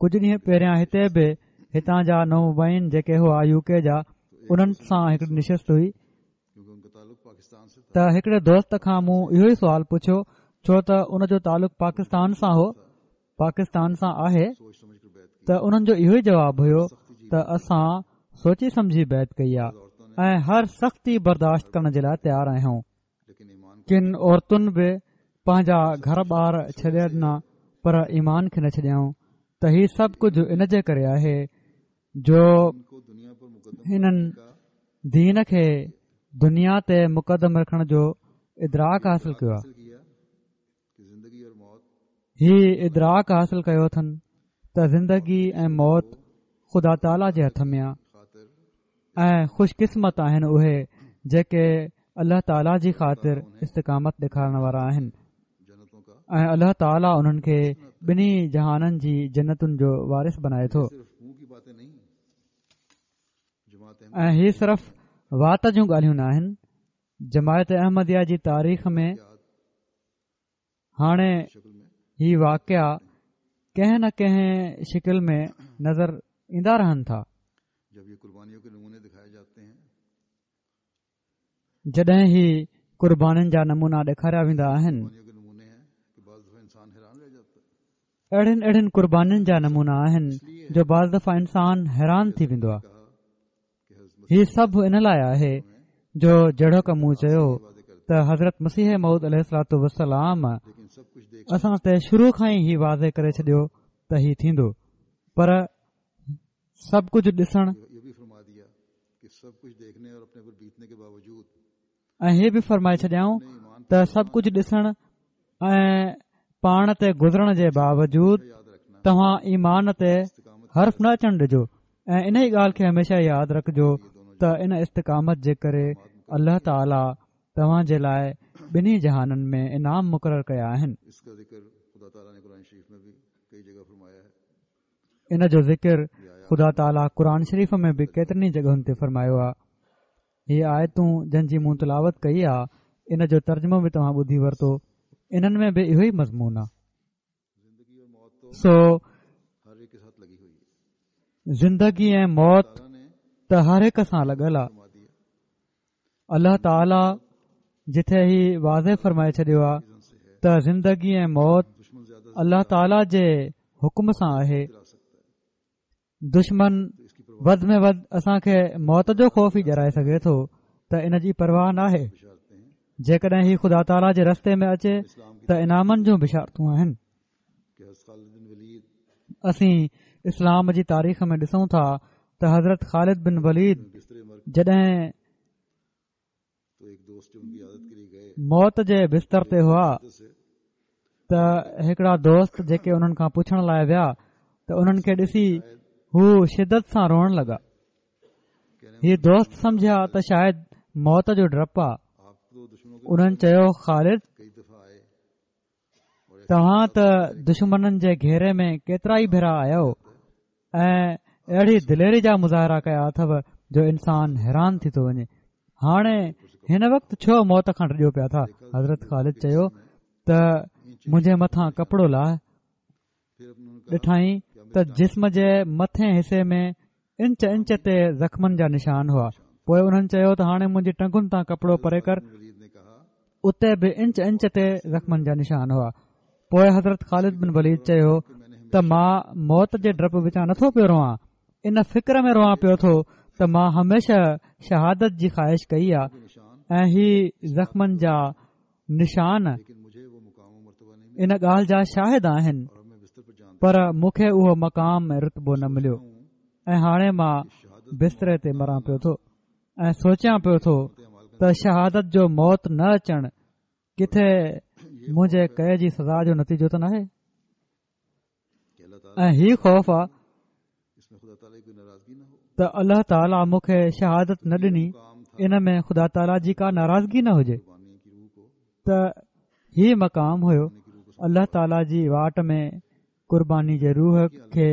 ڪجهه ڏينهن پهريان هتي به هتان جا نومبائعين جيڪي هئا يو ڪي جا انهن سان هڪڙي نشست هئي ته هڪڙي دوست کان مون اهو ئي سوال پڇيو ڇو ته ان جو تعلق پاڪستان سان هو پاڪستان سان آهي ته انهن جو اهو ئي جواب هيو ته اسان سوچي سمجهي بيعت ڪئي آهي ۽ هر سختي برداشت ڪرڻ جي لاءِ تيار آهيون. ڪن عورتن به پنهنجا گهر ٻار ڇڏي ڏنا پر ايمان کي نه ڇڏيائون. ته هي سڀ ڪجهه ان جي ڪري آهي جو هنن دين کي دنيا تي مقدم رکڻ جو ادراڪ حاصل ڪيو آهي. هي ادراڪ حاصل ڪيو اٿن ته زندگي ۽ موت خدا تعاليٰ جي هٿ ۾ آهي ۽ خوش قسمت آهن اهي جيڪي الله تعاليٰ جي خاطر استقامت ڏيکارڻ وارا آهن ۽ الله تعاليٰ انهن کي ٻنهي جهانن جي جنتن جو وارث بنائي ٿو. ۽ هي صرف وات جون ڳالهيون نه آهن. جماعت احمديه جي تاريخ ۾ هاڻي هي واقعا ڪنهن نه ڪنهن شڪل ۾ نظر ايندا رهن ٿا. جڏهن هي قربانين جا نمونا ڏيکاريا ويندا آهن، اهڙين اهڙين قربانين جا نمونا آهن جو بعض دفعا انسان حيران ٿي ويندو آهي. هي سڀ ان لاءِ آهي جو جهڙوڪ مون چيو ته حضرت مسيح موعود عليه الصلوة والسلام اسان تي شروع کان ئي هي واضح ڪري ڇڏيو ته هي ٿيندو، پر سڀ ڪجهه ڏسڻ ۽ هي به فرمائي ڇڏيائون ته سڀ ڪجهه ڏسڻ ۽ پاڻ تي گذرڻ جي باوجود توهان ايمان تي حرف نه اچڻ ڏجو ۽ ان ئي ڳالهه کي هميشه ياد رکجو ته ان استقامت جي ڪري الله تعاليٰ توهان جي لاءِ ٻنهي جهانن ۾ انعام مقرر ڪيا آهن. ان جو ذڪر خدا تعاليٰ قرآن شريف ۾ به ڪيترن ئي جڳهن تي فرمايو آهي. هي آيتون جن جي مون تلاوت ڪئي آهي ان جو ترجمو به توهان ٻڌي ورتو، انهن ۾ به اهو ئي مضمون آهي. سو زندگي ۽ موت ته هر هڪ سان لڳل آهي. الله تعاليٰ جٿي هي واضح فرمائي ڇڏيو آهي ته زندگي ۽ موت الله تعاليٰ جي حڪم سان آهي. دشمن وڌ ۾ وڌ اسان کي موت جو خوف ئي ڄرائي سگهي ٿو ته ان جي پرواهه ناهي. جيڪڏهن هي خدا تعاليٰ جي رستي ۾ اچي ته انعامن جون بشارتون آهن. اسين اسلام جي تاريخ ۾ ڏسون ٿا ته حضرت خالد بن وليد جڏهن موت جي بستر تي هئا ته هڪڙا دوست جيڪي انهن کان پڇڻ لاءِ ويا ته انهن کي ڏسي هو شدت سان روئڻ لڳا. هي دوست سمجهيا ته شايد موت جو ڊپ آ. انهن چيو، خالد توهان ته دشمنن جي گهيري ۾ ڪيترا ئي ڀيرا آيو ۽ اهڙي دليري جا مظاهرا ڪيا اٿو جو انسان حيران ٿي ٿو وڃي. هاڻي هن وقت ڇو موت کان ڊڄو پيا ٿا؟ حضرت خالد چيو ته منهنجي مٿان ڪپڙو لاهه. ڏٺائين ته جسم جي مٿين حصي ۾ انچ انچ تي زخمن جا نشان هئا. پوءِ انهن چيو ته هاڻي منهنجي ٽنگن تان ڪپڙو پري ڪر. اتي به انچ انچ تي زخمن جا نشان هئا. پوءِ حضرت خالد بن وليد چيو ته مان موت جي ڊپ وچان نٿو پيو روئان، ان فڪر ۾ روئان پيو ٿو ته مان هميشه شهادت جي خواهش ڪئي آهي ۽ هي زخمن جا نشان ان ڳالهه جا شاهد آهن، پر مون کي اهو مقام ۽ رتبو نه مليو ۽ هاڻي مان بستري تي مران پيو ٿو ۽ سوچيان پيو ٿو ته شهادت جو موت نه اچڻ ڪٿي منهنجي ڪئي جي سزا جو نتيجو ته ناهي. ۽ هي خوف آهي ته الله تعاليٰ مون کي شهادت نه ڏني، ان ۾ خدا تعاليٰ جي ڪا ناراضگي نه هجي. ته هي مقام هيو الله تعاليٰ جي واٽ ۾ قرباني جي روح کي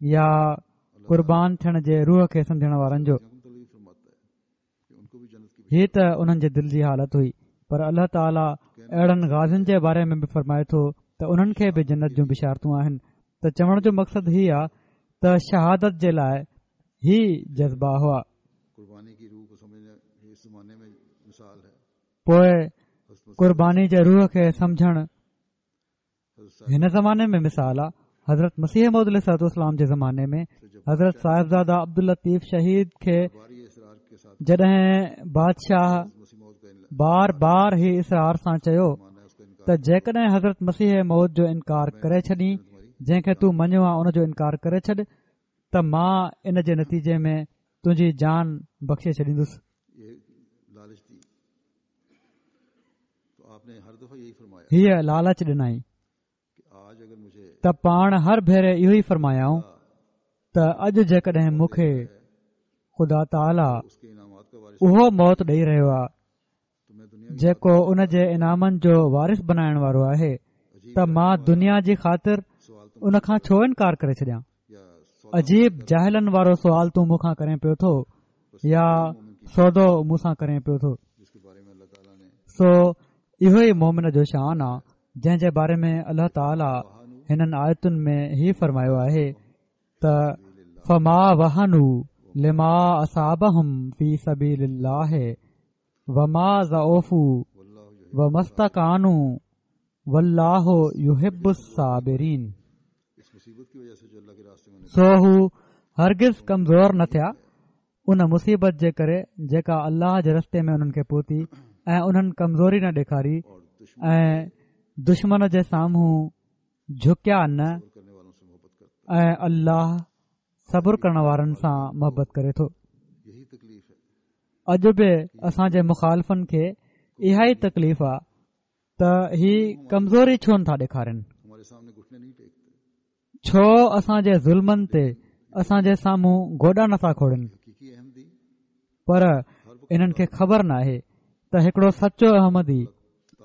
يا قربان ٿيڻ جي روح کي سمجهڻ وارن جو. هي ته انهن جي دل جي حالت هئي، پر الله تعاليٰ اهڙن غازين جي باري ۾ به فرمائي ٿو ته انهن کي به جنت جون بشارتون آهن. ته چوڻ جو مقصد هي آ ته شهادت جي لاءِ هي جذبا هئا. پوءِ قرباني جي روح کي سمجهڻ هن زماني ۾ مثال آ. حضرت مسيح موعود عليه الصلوة والسلام جي زماني ۾ حضرت صاحبزاده عبداللطيف شهيد کي جڏهن بادشاهه بار بار هي اصرار سان چيو ته جيڪڏهن حضرت مسيح موعود جو انڪار ڪري ڇڏين، جنهن کي تون مڃيو آ ان جو انڪار ڪري ڇڏ، ته مان ان جي نتيجي ۾ تنهنجي جان بخشي ڇڏيندس. هيءَ لالچ ڏنائين ته پاڻ هر ڀيري اهو ئي فرمايائون ته اڄ جيڪڏهن مون کي خدا تعاليٰ اهو موت ڏيئي رهيو آهي جيڪو ان جي انعامن جو وارث بنائڻ وارو آهي، ته مان دنيا جي خاطر ان کان ڇو انڪار ڪري ڇڏيان؟ عجيب جاهلن وارو سوال تون مون کان ڪرين پيو ٿو يا سودو مون سان ڪرين پيو ٿو؟ سو اهو ئي مومن جو شان آ جنهن جي باري ۾ الله تعاليٰ هنن آيتن ۾ هي فرمايو آهي ته فما وهنوا لما اصابهم في سبيل الله وما ضعفوا وما استكانوا والله يحب الصابرين. سو هو هرگز ڪمزور نه ٿيا ان مصيبت جي ڪري جيڪا الله جي رستي ۾ انهن کي پهتي، ۽ انهن ڪمزوري نه ڏيکاري ۽ دشمن جي سامهون جهڪيا نه، ۽ الله صبر ڪرڻ وارن سان محبت ڪري ٿو. اڄ به اسان جي مخالفن کي اها ئي تڪليف آ ته هي ڪمزوري ڇو نٿا ڏيکارين، ڇو اسان جي ظلمن تي اسان جي سامهون گوڏا نٿا کوڙن. پر انهن کي خبر نه آهي ته هڪڙو سچو احمدي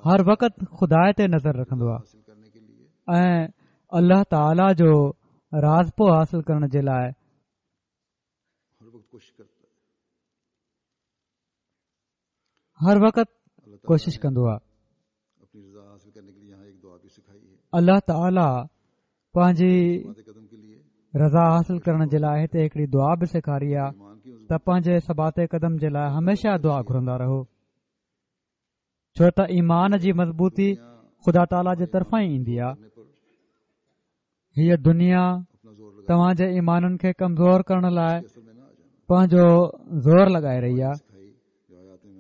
هر وقت خدا تي نظر رکندو آهي ۽ الله تعاليٰ جو راضپو حاصل ڪرڻ جي لاءِ هر وقت ڪوشش ڪندو آهي. الله تعاليٰ پنهنجي رضا حاصل ڪرڻ جي لاءِ هتي هڪڙي دعا به سيکاري آهي ته پنهنجي ثبات قدم جي لاءِ هميشه دعا گهرندا رهو، ڇو ته ايمان جي مضبوطي خدا تعاليٰ جي طرفان ئي ايندي آهي. هيءَ دنيا توهان جي ايمانن کي ڪمزور ڪرڻ لاءِ پنهنجو زور لڳائي رهي آهي،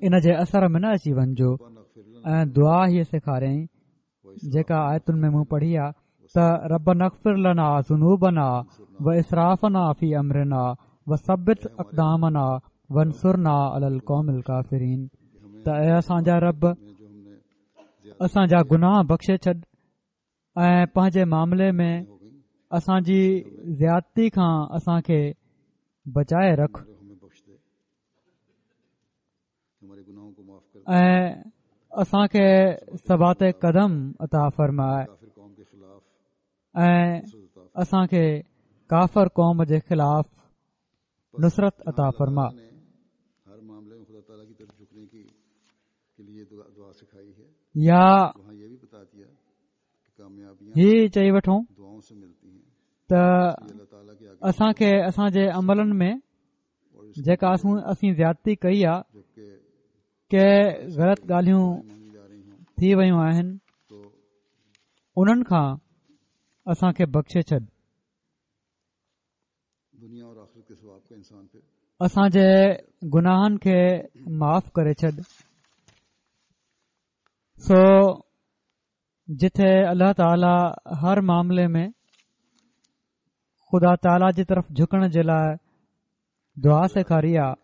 ان جي اثر ۾ نه اچي وڃجو. ۽ دعا هيءَ سيکاريائين جيڪا آيتن ۾ مون پڙهي آهي ته ربنا اغفر لنا ذنوبنا واسرافنا في امرنا وثبت اقدامنا وانصرنا على القوم الڪافرين. ته اي اسان جا رب، اسان جا گناهه بخشي ڇڏ ۽ پنهنجي معاملي ۾ اسان جي زيادتي کان اسان کي بچائي رک ۽ اسان کي ثبات قدم عطا فرماءِ ۽ اسان کي ڪافر قوم جي خلاف نصرت عطا فرما. يا هي چئي وٺون ته اسان کي اسان جي عملن ۾ جيڪا اسين زيادتي ڪئي آهي، ڪي غلط ڳالهيون ٿي ويون آهن، انهن کان اسان کي بخشي ڇڏ. اسان جي گناهن کي معاف ڪري ڇڏ. سو جتي الله تعاليٰ هر معاملي ۾ خدا تعاليٰ جي طرف جهڪڻ جي لاءِ دعا سيکاري آهي،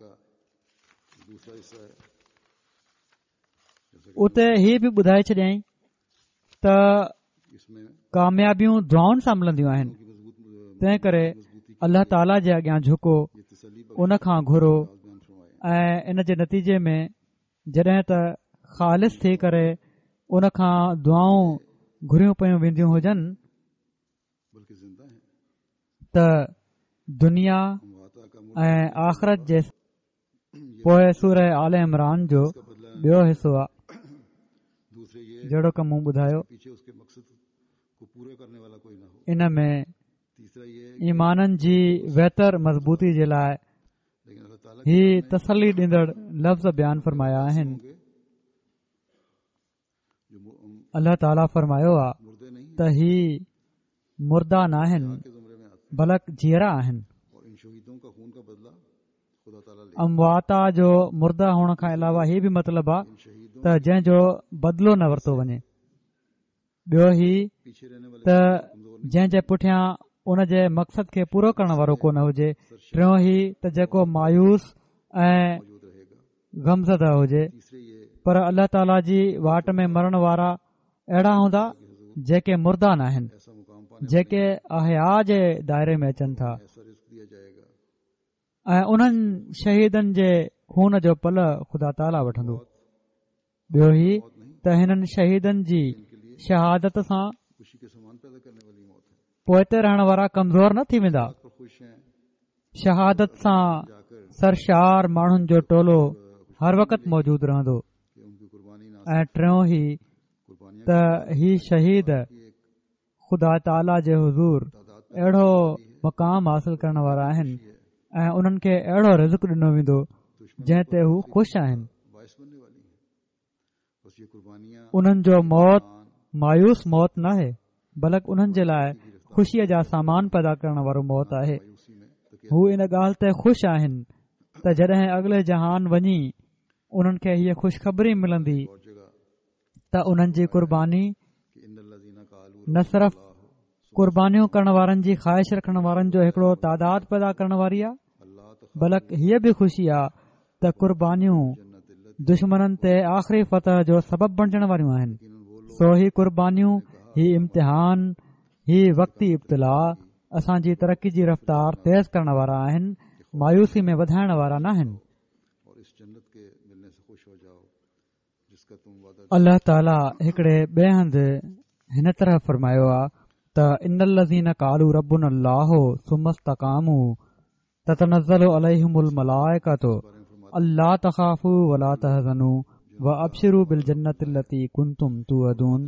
اتي هي به ٻڌائي ڇڏيائين ته ڪاميابيون دعائن سان ملنديون آهن. تنهن ڪري الله تعاليٰ جي اڳيان جهڪو، ان کان گهرو ۽ ان جي نتيجي ۾ جڏهن ته خالص ٿي ڪري ان کان دعائون گهريون پيون وينديون هجن ته دنيا ۽ آخرت جي پوءِ سوره آل عمران جو ٻيو حصو آهي جهڙوڪ مون ٻڌايو. ان ۾ ايمانن جي ويتر مضبوطي جي لاءِ هي تسلي ڏيندڙ لفظ بيان فرمايا آهن. الله تعاليٰ فرمايو آهي ته هي مردا ناهن بلڪ جيئرا آهن. امواتا جو مرده هئڻ کان علاوه هي به مطلب آهي ته جنهن جو بدلو نه ورتو وڃي. ٻيو هي ته جنهن جي پٺيان ان جي مقصد کي پورو ڪرڻ وارو ڪو نه هجي. ٽيون هي ته جيڪو مايوس ۽ غمزده هجي. پر الله تعاليٰ جي واٽ ۾ مرڻ وارا اهڙا هوندا جيڪي مردا ناهن، جيڪي احياء جي دائري ۾ اچن ٿا ۽ انهن شهيدن جي خون جو پل خدا تعاليٰ وٺندو. ٻيو هي ته هنن شهيدن جي شهادت سان پوئتي رهڻ وارا ڪمزور نه ٿي ويندا. شهادت سان سرشار ماڻهن جو ٽولو هر وقت موجود رهندو. ۽ ٽيون هي ته هي شهيد خدا تعاليٰ جي حضور اهڙو مقام حاصل ڪرڻ وارا آهن ۽ انهن کي اهڙو رزق ڏنو ويندو جنهن تي هو خوش آهن. انهن جو موت مايوس موت ناهي بلڪ انهن جي لاءِ خوشيءَ جا سامان پيدا ڪرڻ وارو موت آهي. هو ان ڳالهه تي خوش آهن ته جڏهن اڳلي جهان وڃي انهن کي هيءَ خوشخبري ملندي ته انهن جي قرباني نه صرف قربانيون ڪرڻ وارن جي خواهش رکڻ وارن جو هڪڙو تعداد پيدا ڪرڻ واري آهي بلڪ هيءَ به خوشي آهي ته قربانيون دشمنن تي آخري فتح جو سبب بڻجڻ واريون آهن. سو هي قربانيون، هي امتحان، هي وقتي ابتلا اسان جي ترقي جي رفتار تيز ڪرڻ وارا آهن، مايوسي ۾ وڌائڻ وارا ناهن. الله تعاليٰ هڪڙي ٻئي هنڌ هن طرح فرمايو آهي ته ان الذين قالوا ربنا الله ثم استقاموا تتنزل عليهم الملائكة الا تخافوا ولا تحزنوا وابشروا بالجنة التي كنتم توعدون.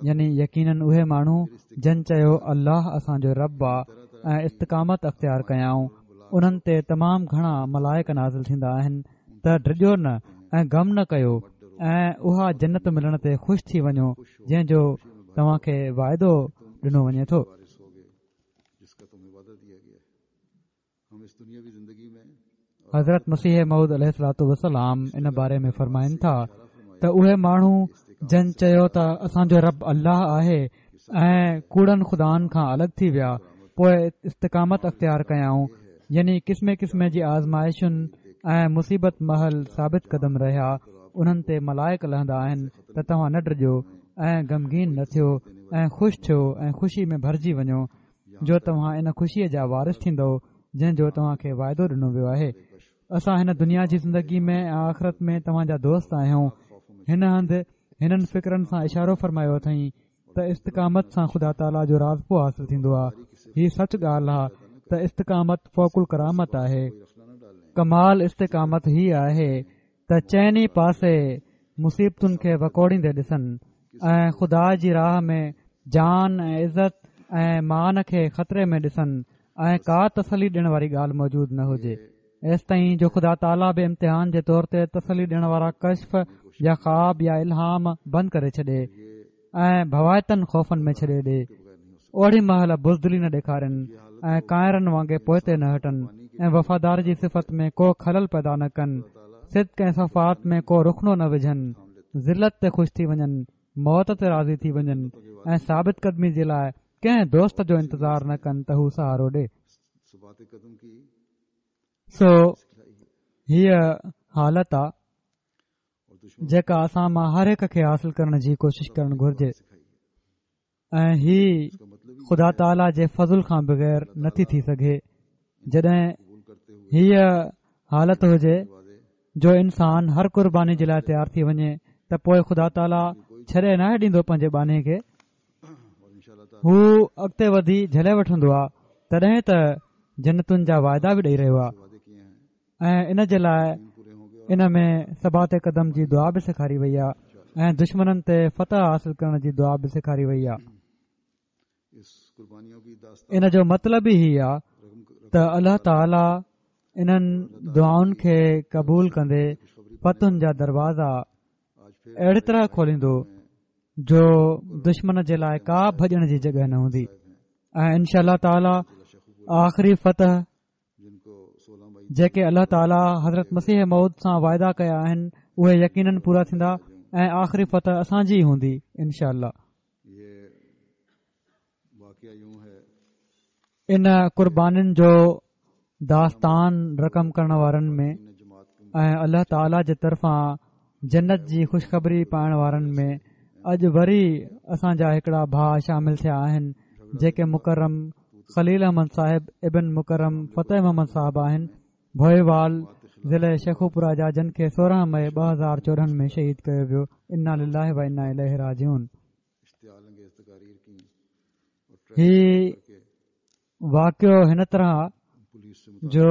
يعني يقيناً اهي ماڻهو جن چيو الله اسان جو رب آ ۽ استقامت اختيار ڪيائون، انهن تي تمام گهڻا ملائڪ نازل ٿيندا آهن ته ڊڄو نه ۽ غم نه ڪيو ۽ اها جنت ملڻ تي خوش ٿي وڃو جنهن جو توهان کي واعدو ڏنو وڃي ٿو. حضرت مسيح موعود عليه الصلوة والسلام ان باري ۾ فرمائن ٿا ته اهي ماڻهو جن چيو ته اسان جو رب الله آهي ۽ ڪوڙن خدائن کان الڳ ٿي ويا، پوءِ استقامت اختيار ڪيائون، يعني قسمي قسمي جي آزمائشن ۽ مصيبت مهل ثابت قدم رهيا، انهن تي ملائڪ لهندا آهن ته توهان نه ڊڄو ۽ غمگين نه ٿيو ۽ خوش ٿيو ۽ خوشي ۾ ڀرجي وڃو جو توهان ان خوشيءَ جا وارث ٿيندؤ جنهن جو توهان کي واعدو ڏنو ويو آهي. اسان هن دنيا جي زندگي ۾ ۽ آخرت ۾ توهان جا دوست آهيون. هن هنڌ هنن فڪرن سان اشارو فرمايو اٿئين ته استقامت سان خدا تعاليٰ جو راضپو حاصل ٿيندو آهي. هي سچ ڳالهه آهي ته استقامت فوق الڪرامت آهي. ڪمال استقامت هي آهي ته چئني پاسي مصيبتن کي وڪوڙيندي ڏسن ۽ خدا جي راهه ۾ جان ۽ عزت ۽ مان کي خطري ۾ ڏسن ۽ ڪا تسلي ڏيڻ واري ڳالهه موجود نه هجي، ايستائين جو خدا تعاليٰ به امتحان جي طور تي تسلي ڏيڻ وارا ڪشف يا خواب يا الهام بند ڪري ڇڏي ۽ ڀوائتن خوفن ۾ ڇڏي ڏي. اوڙي مهل بزدلي نه ڏيکارين ۽ ڪائرن وانگي پوئتي نه هٽن ۽ وفادار جي صفت ۾ ڪو خلل پيدا نه ڪن، صدق ۽ صفات ۾ ڪو رخنو نه وجهن، ذلت تي خوش ٿي وڃن، موت تي راضي ٿي وڃن ۽ ثابت قدمي جي لاءِ ڪنهن دوست جو انتظار نه ڪن ته هو سهارو ڏي. سو هيءَ حالت آ جيڪا اسان مان هر هڪ کي حاصل ڪرڻ جي ڪوشش ڪرڻ گهرجي ۽ هي خدا تعاليٰ جي فضل کان بغير نٿي ٿي سگهي. جڏهن هيءَ حالت هجي جو انسان هر قرباني جي لاءِ تيار ٿي وڃي ته پوءِ خدا تعاليٰ ڇڏي ناهي ڏيندو پنهنجي ٻانهي کي، هو اڳتي وڌي جهلي وٺندو آهي. تڏهن ته جنتن جا واعدا به ڏيئي رهيو آهي ۽ ان جي لاءِ ان ۾ ثبات قدم جي دعا به سيکاري وئي آهي ۽ دشمنن تي فتح حاصل ڪرڻ جي دعا به سيکاري وئي آهي. ان جو مطلب ئي هي آهي ته الله تعاليٰ انهن دعائن کي قبول ڪندي فتحن جا دروازا اهڙي طرح کوليندو جو دشمن جي لاءِ ڪا ڀڄڻ جي جڳهه نه هوندي ۽ انشاء الله تعاليٰ آخري فتح جيڪي الله تعاليٰ حضرت مسيح موعود سان واعدا ڪيا آهن اهي يقينن پورا ٿيندا ۽ آخري فتح اسان جي ئي هوندي انشاء الله. ان قربانين جو داستان رقم ڪرڻ وارن ۾ ۽ الله تعاليٰ جي طرفان جنت جي خوشخبري پائڻ وارن ۾ اڄ وري اسان جا هڪڙا ڀاءُ شامل ٿيا آهن، جيڪي مڪرم خليل احمد صاحب ابن مڪرم فتح محمد صاحب آهن، ڀوئيوال ضلعي شيخوپورا جا، جن کي سورهن مئي ٻه هزار چوڏهن ۾ شهيد ڪيو ويو. انا لله و انا اليه راجعون. هي واقعو هن طرح جو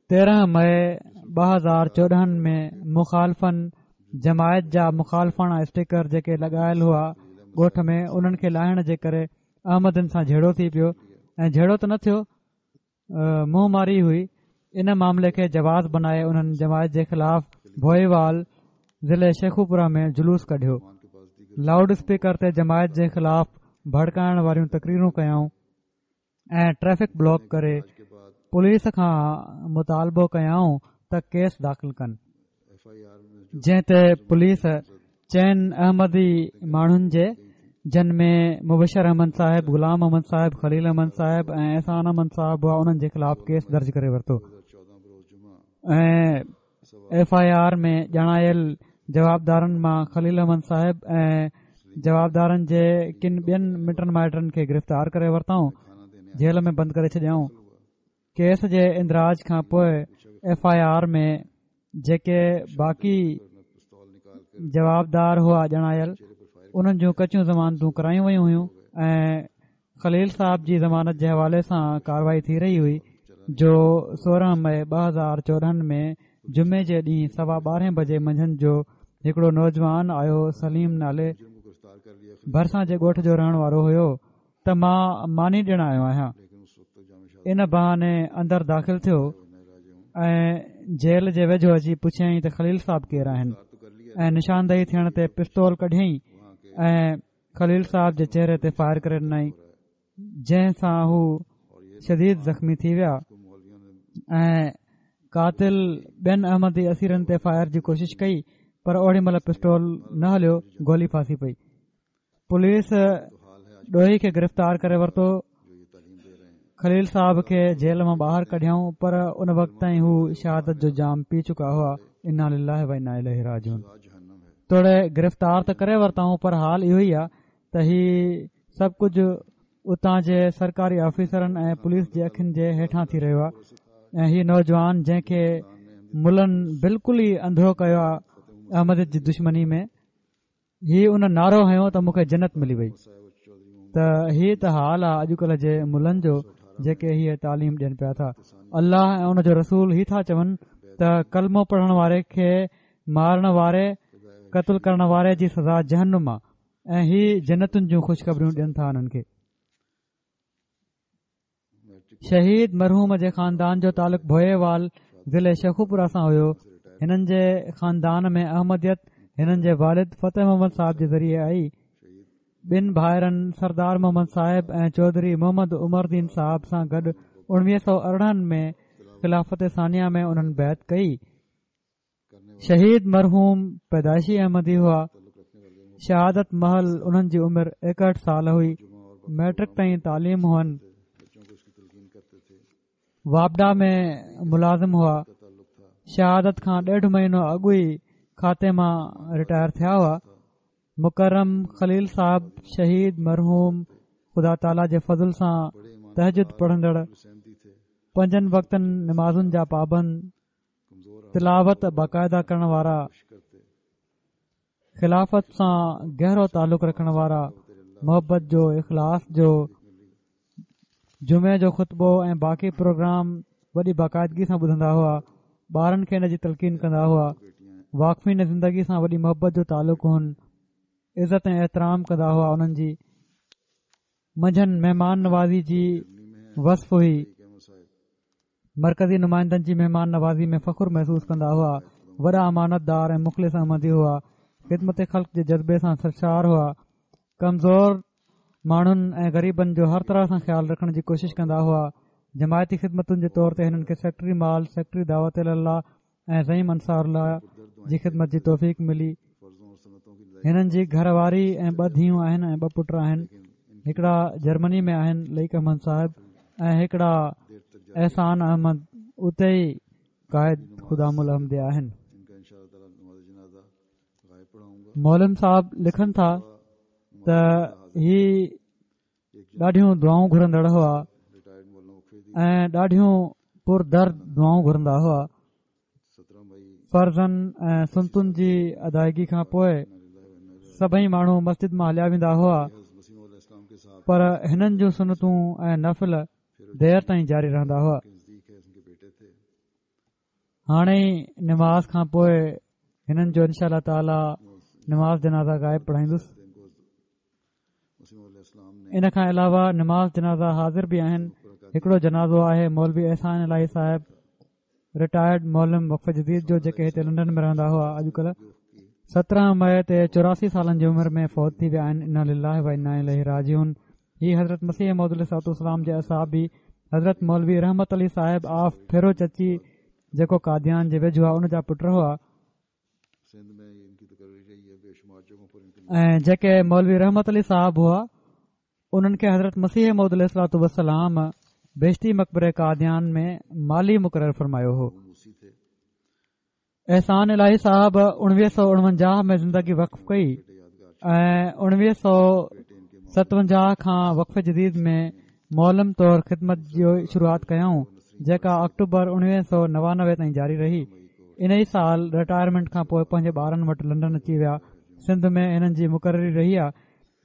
تيرهن مئي ٻه هزار چوڏهن ۾ مخالفن جماعت جا مخالفاڻا اسٽيڪر جيڪي لڳايل هئا ڳوٺ ۾ انهن کي لاهڻ جي ڪري احمدين سان جهيڙو ٿي پيو ۽ جهيڙو ته نه ٿيو، منهن ماري هئي. ان معاملي کي جواز بنائي انهن جماعت جي خلاف ڀوئيوال ضلعي شيخوپورا ۾ جلوس ڪڍيو. لائوڊ اسپيڪر تي جماعت جي خلاف ڀڙڪائڻ واريون تقريرون ڪيائون ۽ ٽريفڪ بلاڪ ڪري پوليس کان مطالبو ڪيائون ته ڪيس داخل ڪن، جنهن تي پوليس چئن احمدي ماڻهن جي، جن ۾ مبشر احمد صاحب، غلام احمد صاحب، خليل احمد صاحب ۽ احسان احمد صاحب هئا، انهن جي خلاف ڪيس درج ڪري ورتو ۽ ايف I R ۾ ڄاڻايل جوابدارن مان خليل احمد صاحب ۽ جوابدارن جي ڪن ٻين مٽن مائٽن کي گرفتار ڪري ورتائون، جيل ۾ بند ڪري ڇڏيائون. ڪيس جي اندراج کان پوءِ ايف I R ۾ جيڪي باقي جوابدار هئا ڄاڻايل، انهن جون ڪچيون ضمانتون ڪرايون ويون هيون ۽ خليل صاحب جي ضمانت جي حوالي سان ڪارروائي ٿي رهي هئي، جو سورهن مئي ٻه هزار چوڏهن ۾ جمعي جي ڏينهن سوا ٻارهين بجي منجهند جو هڪڙو نوجوان آيو، سليم نالي، ڀرسان جي ڳوٺ جو رهڻ وارو هيو، ته مان ماني ڏيڻ آيو آهيان. ان بهاني اندر داخل ٿيو ۽ جيل جي ويجهو اچي پڇيائين ته خليل صاحب ڪير آهن، ۽ نشاندهي ٿيڻ تي پستول ڪڍيائين ۽ خليل صاحب جي چهري تي فائر ڪري ڏنائين، جنهن سان هو شديد زخمي ٿي ويا ۽ قاتل ٻين احمدي اسيرن تي فائر جي ڪوشش ڪئي، پر اوڏي مهل پستول نه هليو، گولي ڦاسي پئي. پوليس ڏوهي کي گرفتار ڪري ورتو. خليل صاحب کي جيل مان ٻاهر ڪڍيائون، پر ان وقت تائين هو شهادت جو جام پي چڪا هئا. انا لله و انا اليه راجعون. توڙي گرفتار ته ڪري ورتائون، پر حال اهو ئي آهي ته هي سڀ ڪجهه اتان جي سرڪاري آفيسرن ۽ پوليس جي اکين جي هيٺان ٿي رهيو آهي ۽ هي نوجوان جنهن کي ملن بلڪل ئي انڌو ڪيو آهي احمديت جي دشمني ۾، هي ان نعرو هنيو ته مون کي جنت ملي وئي. ته هي ته حال آهي اڄڪلهه جي ملن جو، جيڪي هيءَ تعليم ڏين پيا ٿا. الله ۽ ان جو رسول هي ٿا چون ته ڪلمو پڙهڻ واري کي مارڻ واري، قتل ڪرڻ واري جي سزا جهنم آهي ۽ هي جنتن جون خوشخبريون ڏين ٿا انهن کي. شهيد مرحوم جي خاندان جو تعلق ڀوئيوال ضلعي شيخوپورا سان هيو. هنن جي خاندان ۾ احمديت هنن جي والد فتح محمد صاحب جي ذريعي آئي. ٻن ڀائرن سردار محمد صاحب ۽ چوڌري محمد عمر دين صاحب سان گڏ اڻويهه سؤ ارڙهن ۾ خلافت ثانيه ۾ انهن بيعت ڪئي. شهيد مرحوم پيدائشي احمدي هئا. شهادت مهل انهن جي عمر ايڪهٺ سال هئي. ميٽرڪ تائين تعليم هئن. واپڊا ۾ ملازم هئا. شهادت کان ڏيڍ مهينو اڳ ئي کاتي مان رٽائر ٿيا هئا. مڪرم خليل صاحب شهيد مرحوم خدا تعاليٰ جي فضل سان تهجد پڙهندڙ، پنجن وقتن نمازن جا پابند، تلاوت باقاعده ڪرڻ وارا، خلافت سان گهرو تعلق رکڻ وارا، محبت جو، اخلاص جو، جمعي جو خطبو ۽ باقي پروگرام وڏي باقاعدگي سان ٻڌندا هئا. ٻارن کي ان جي تلقين ڪندا هئا. واقفين زندگي سان وڏي محبت جو تعلق هن، عزت ۽ احترام ڪندا هئا. انهن جي منجهن مهمان نوازي جي وصف هئي. مرڪزي نمائندن جي مهمان نوازي ۾ فخر محسوس ڪندا هئا. وڏا امانتدار ۽ مخلص احمدي هئا. خدمت خلق جي جذبي سان سرشار هئا. ڪمزور ماڻهن ۽ غريبن جو هر طرح سان خيال رکڻ جي ڪوشش ڪندا هئا. جماعتي خدمتن جي طور تي هنن کي سيڪريٽري مال، سيڪريٽري دعوت الله ۽ زعيم انصار الله جي خدمت جي توفيق ملي. هنن جي گهر واري ۽ ٻه ڌيئون آهن ۽ ٻه پٽ آهن. هڪڙا جرمني ۾ آهن لئيق احمد صاحب ۽ هڪڙا احسان احمد اتي ئي قائد خدام الاحمديه آهن. معلم صاحب لکن ٿا ته هي ڏاڍيون دعائون گهرندڙ هئا ۽ ڏاڍيون پردرد دعائون گهرندا هئا. فرضن ۽ سنتن جي ادائگي کان پوءِ سڀئي ماڻهو مسجد مان هليا ويندا هئا، پر هنن جون سنتون ۽ نفل دير تائين جاري رهندا هئا. هاڻي نماز کان پوءِ هنن جو انشاء الله تعاليٰ نماز جنازه غائب پڙهائيندس. ان کان علاوه نماز جنازه حاضر به آهن. هڪڙو جنازو آهي مولوي احسان الاهي صاحب رٽائرڊ معلم وقف جديد جو، جيڪي هتي لنڊن ۾ رهندا هئا. اڄڪلهه سترهن مئي تي چوراسي سالن جي عمر ۾ فوت ٿي ويا آهن. انا لله و انا اليه راجعون. هي حضرت مسيح موعود عليه الصلوة والسلام جي اصحابي حضرت مولوي رحمت علي صاحب آف ڦيرو چچي، جيڪو قاديان جي ويجهو آهي، ان جا پٽ هئا. ۽ جيڪي مولوي رحمت علي صاحب هئا انهن کي حضرت مسيح موعود عليه الصلوة والسلام بهشتي مقبري قاديان ۾ مالي مقرر فرمايو هو. احسان الاهي صاحب اڻويهه سؤ اڻونجاهه ۾ زندگي وقف ڪئي ۽ اڻويهه سؤ ستونجاهه کان وقف جديد ۾ معلم طور خدمت جي شروعات ڪيائون، جيڪا آڪٽوبر اڻويهه سؤ نوانوي تائين جاري رهي. ان ئي سال رٽائرمينٽ کان پوءِ پنهنجي ٻارن وٽ لنڊن اچي ويا. سنڌ ۾ هنن جي مقرري رهي آهي.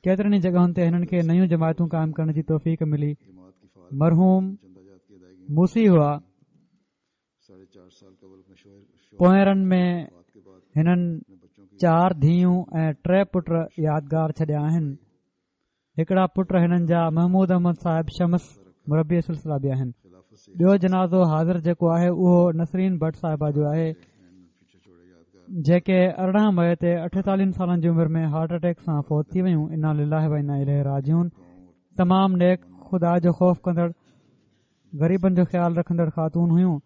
ڪيترن ئي جڳهن تي هنن کي نيون جماعتون قائم ڪرڻ جي توفيق ملي. مرحوم موسي هئا. پوئرن ۾ هنن چار ڌيئون ۽ ٽي پٽ يادگار ڇڏيا آهن. هڪڙا پٽ هنن جا محمود احمد صاحب شمس مربي سلسله به آهن. ٻيو جنازو حاضر جيڪو آهي اهو نسرين ڀٽ صاحبه جو آهي، جيڪي ارڙهن مئي تي اٺيتاليهن سالن جي عمر ۾ هارٽ اٽيڪ سان فوت ٿي ويون. انا لله و انا اليه راجعون. تمام نيڪ، خدا جو خوف ڪندڙ، غريبن جو خيال رکندڙ خاتون هيون.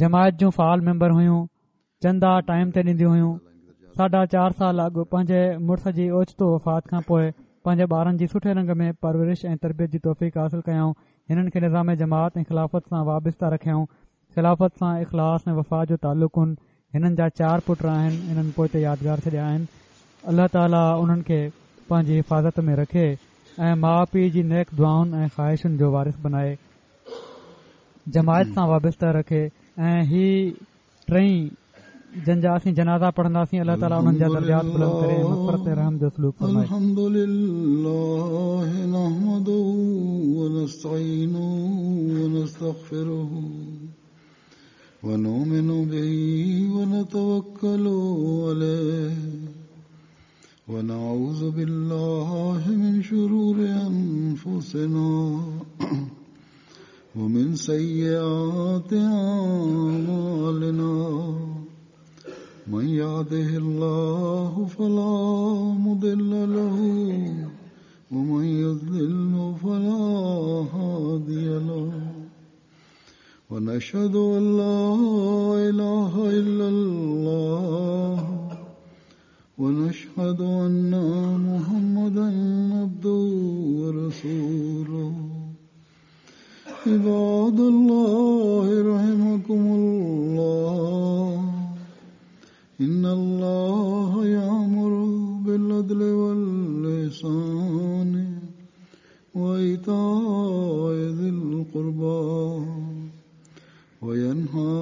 جماعت جون فعال ميمبر هيون. چندا ٽائيم تي ڏينديون هيون. ساڍا چار سال اڳ پنهنجي مڙس جي اوچتو وفات کان پوءِ پنهنجي ٻارن جي سٺي رنگ ۾ پرورش ۽ تربيت جي توفيق حاصل ڪيائون. هنن کي نظام جماعت ۽ خلافت سان وابسته رکيائون. خلافت سان اخلاص ۽ وفا جو تعلق هن. هنن جا چار پٽ آهن. انهن پوئتي يادگار ڇڏيا آهن. الله تعاليٰ انهن کي پنهنجي حفاظت ۾ رکي ۽ ماءُ پيءُ جي نيڪ دعائن ۽ خواهشن جو وارث بنائي، جماعت سان وابسته رکي. ۽ هي ٽئي جن جا اسين جنازا پڙهنداسين، الله تعاليٰ انهن جا درجات بلند ڪري ۽ مغفرت ۽ رحم جو سلوڪ فرمائي. الحمد لله نحمده ونستعينه ونستغفره ونؤمن به ونتوكل عليه ونعوذ بالله من شرور أنفسنا ومن سيئات أعمالنا من يهده الله فلا مضل له ومن يضلل فلا هادي له ونشهد أن لا إله إلا الله ونشهد أن محمدا عبده ورسوله. عباد الله رحمكم الله، إن الله يأمر بالعدل والإحسان وإيتاء ذي القربى وينهى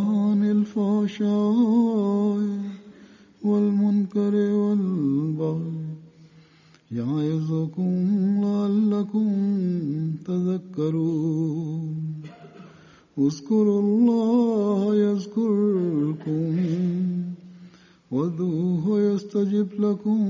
عن الفحشاء والمنكر اذكروا الله يذكركم وادعوه يستجب لكم.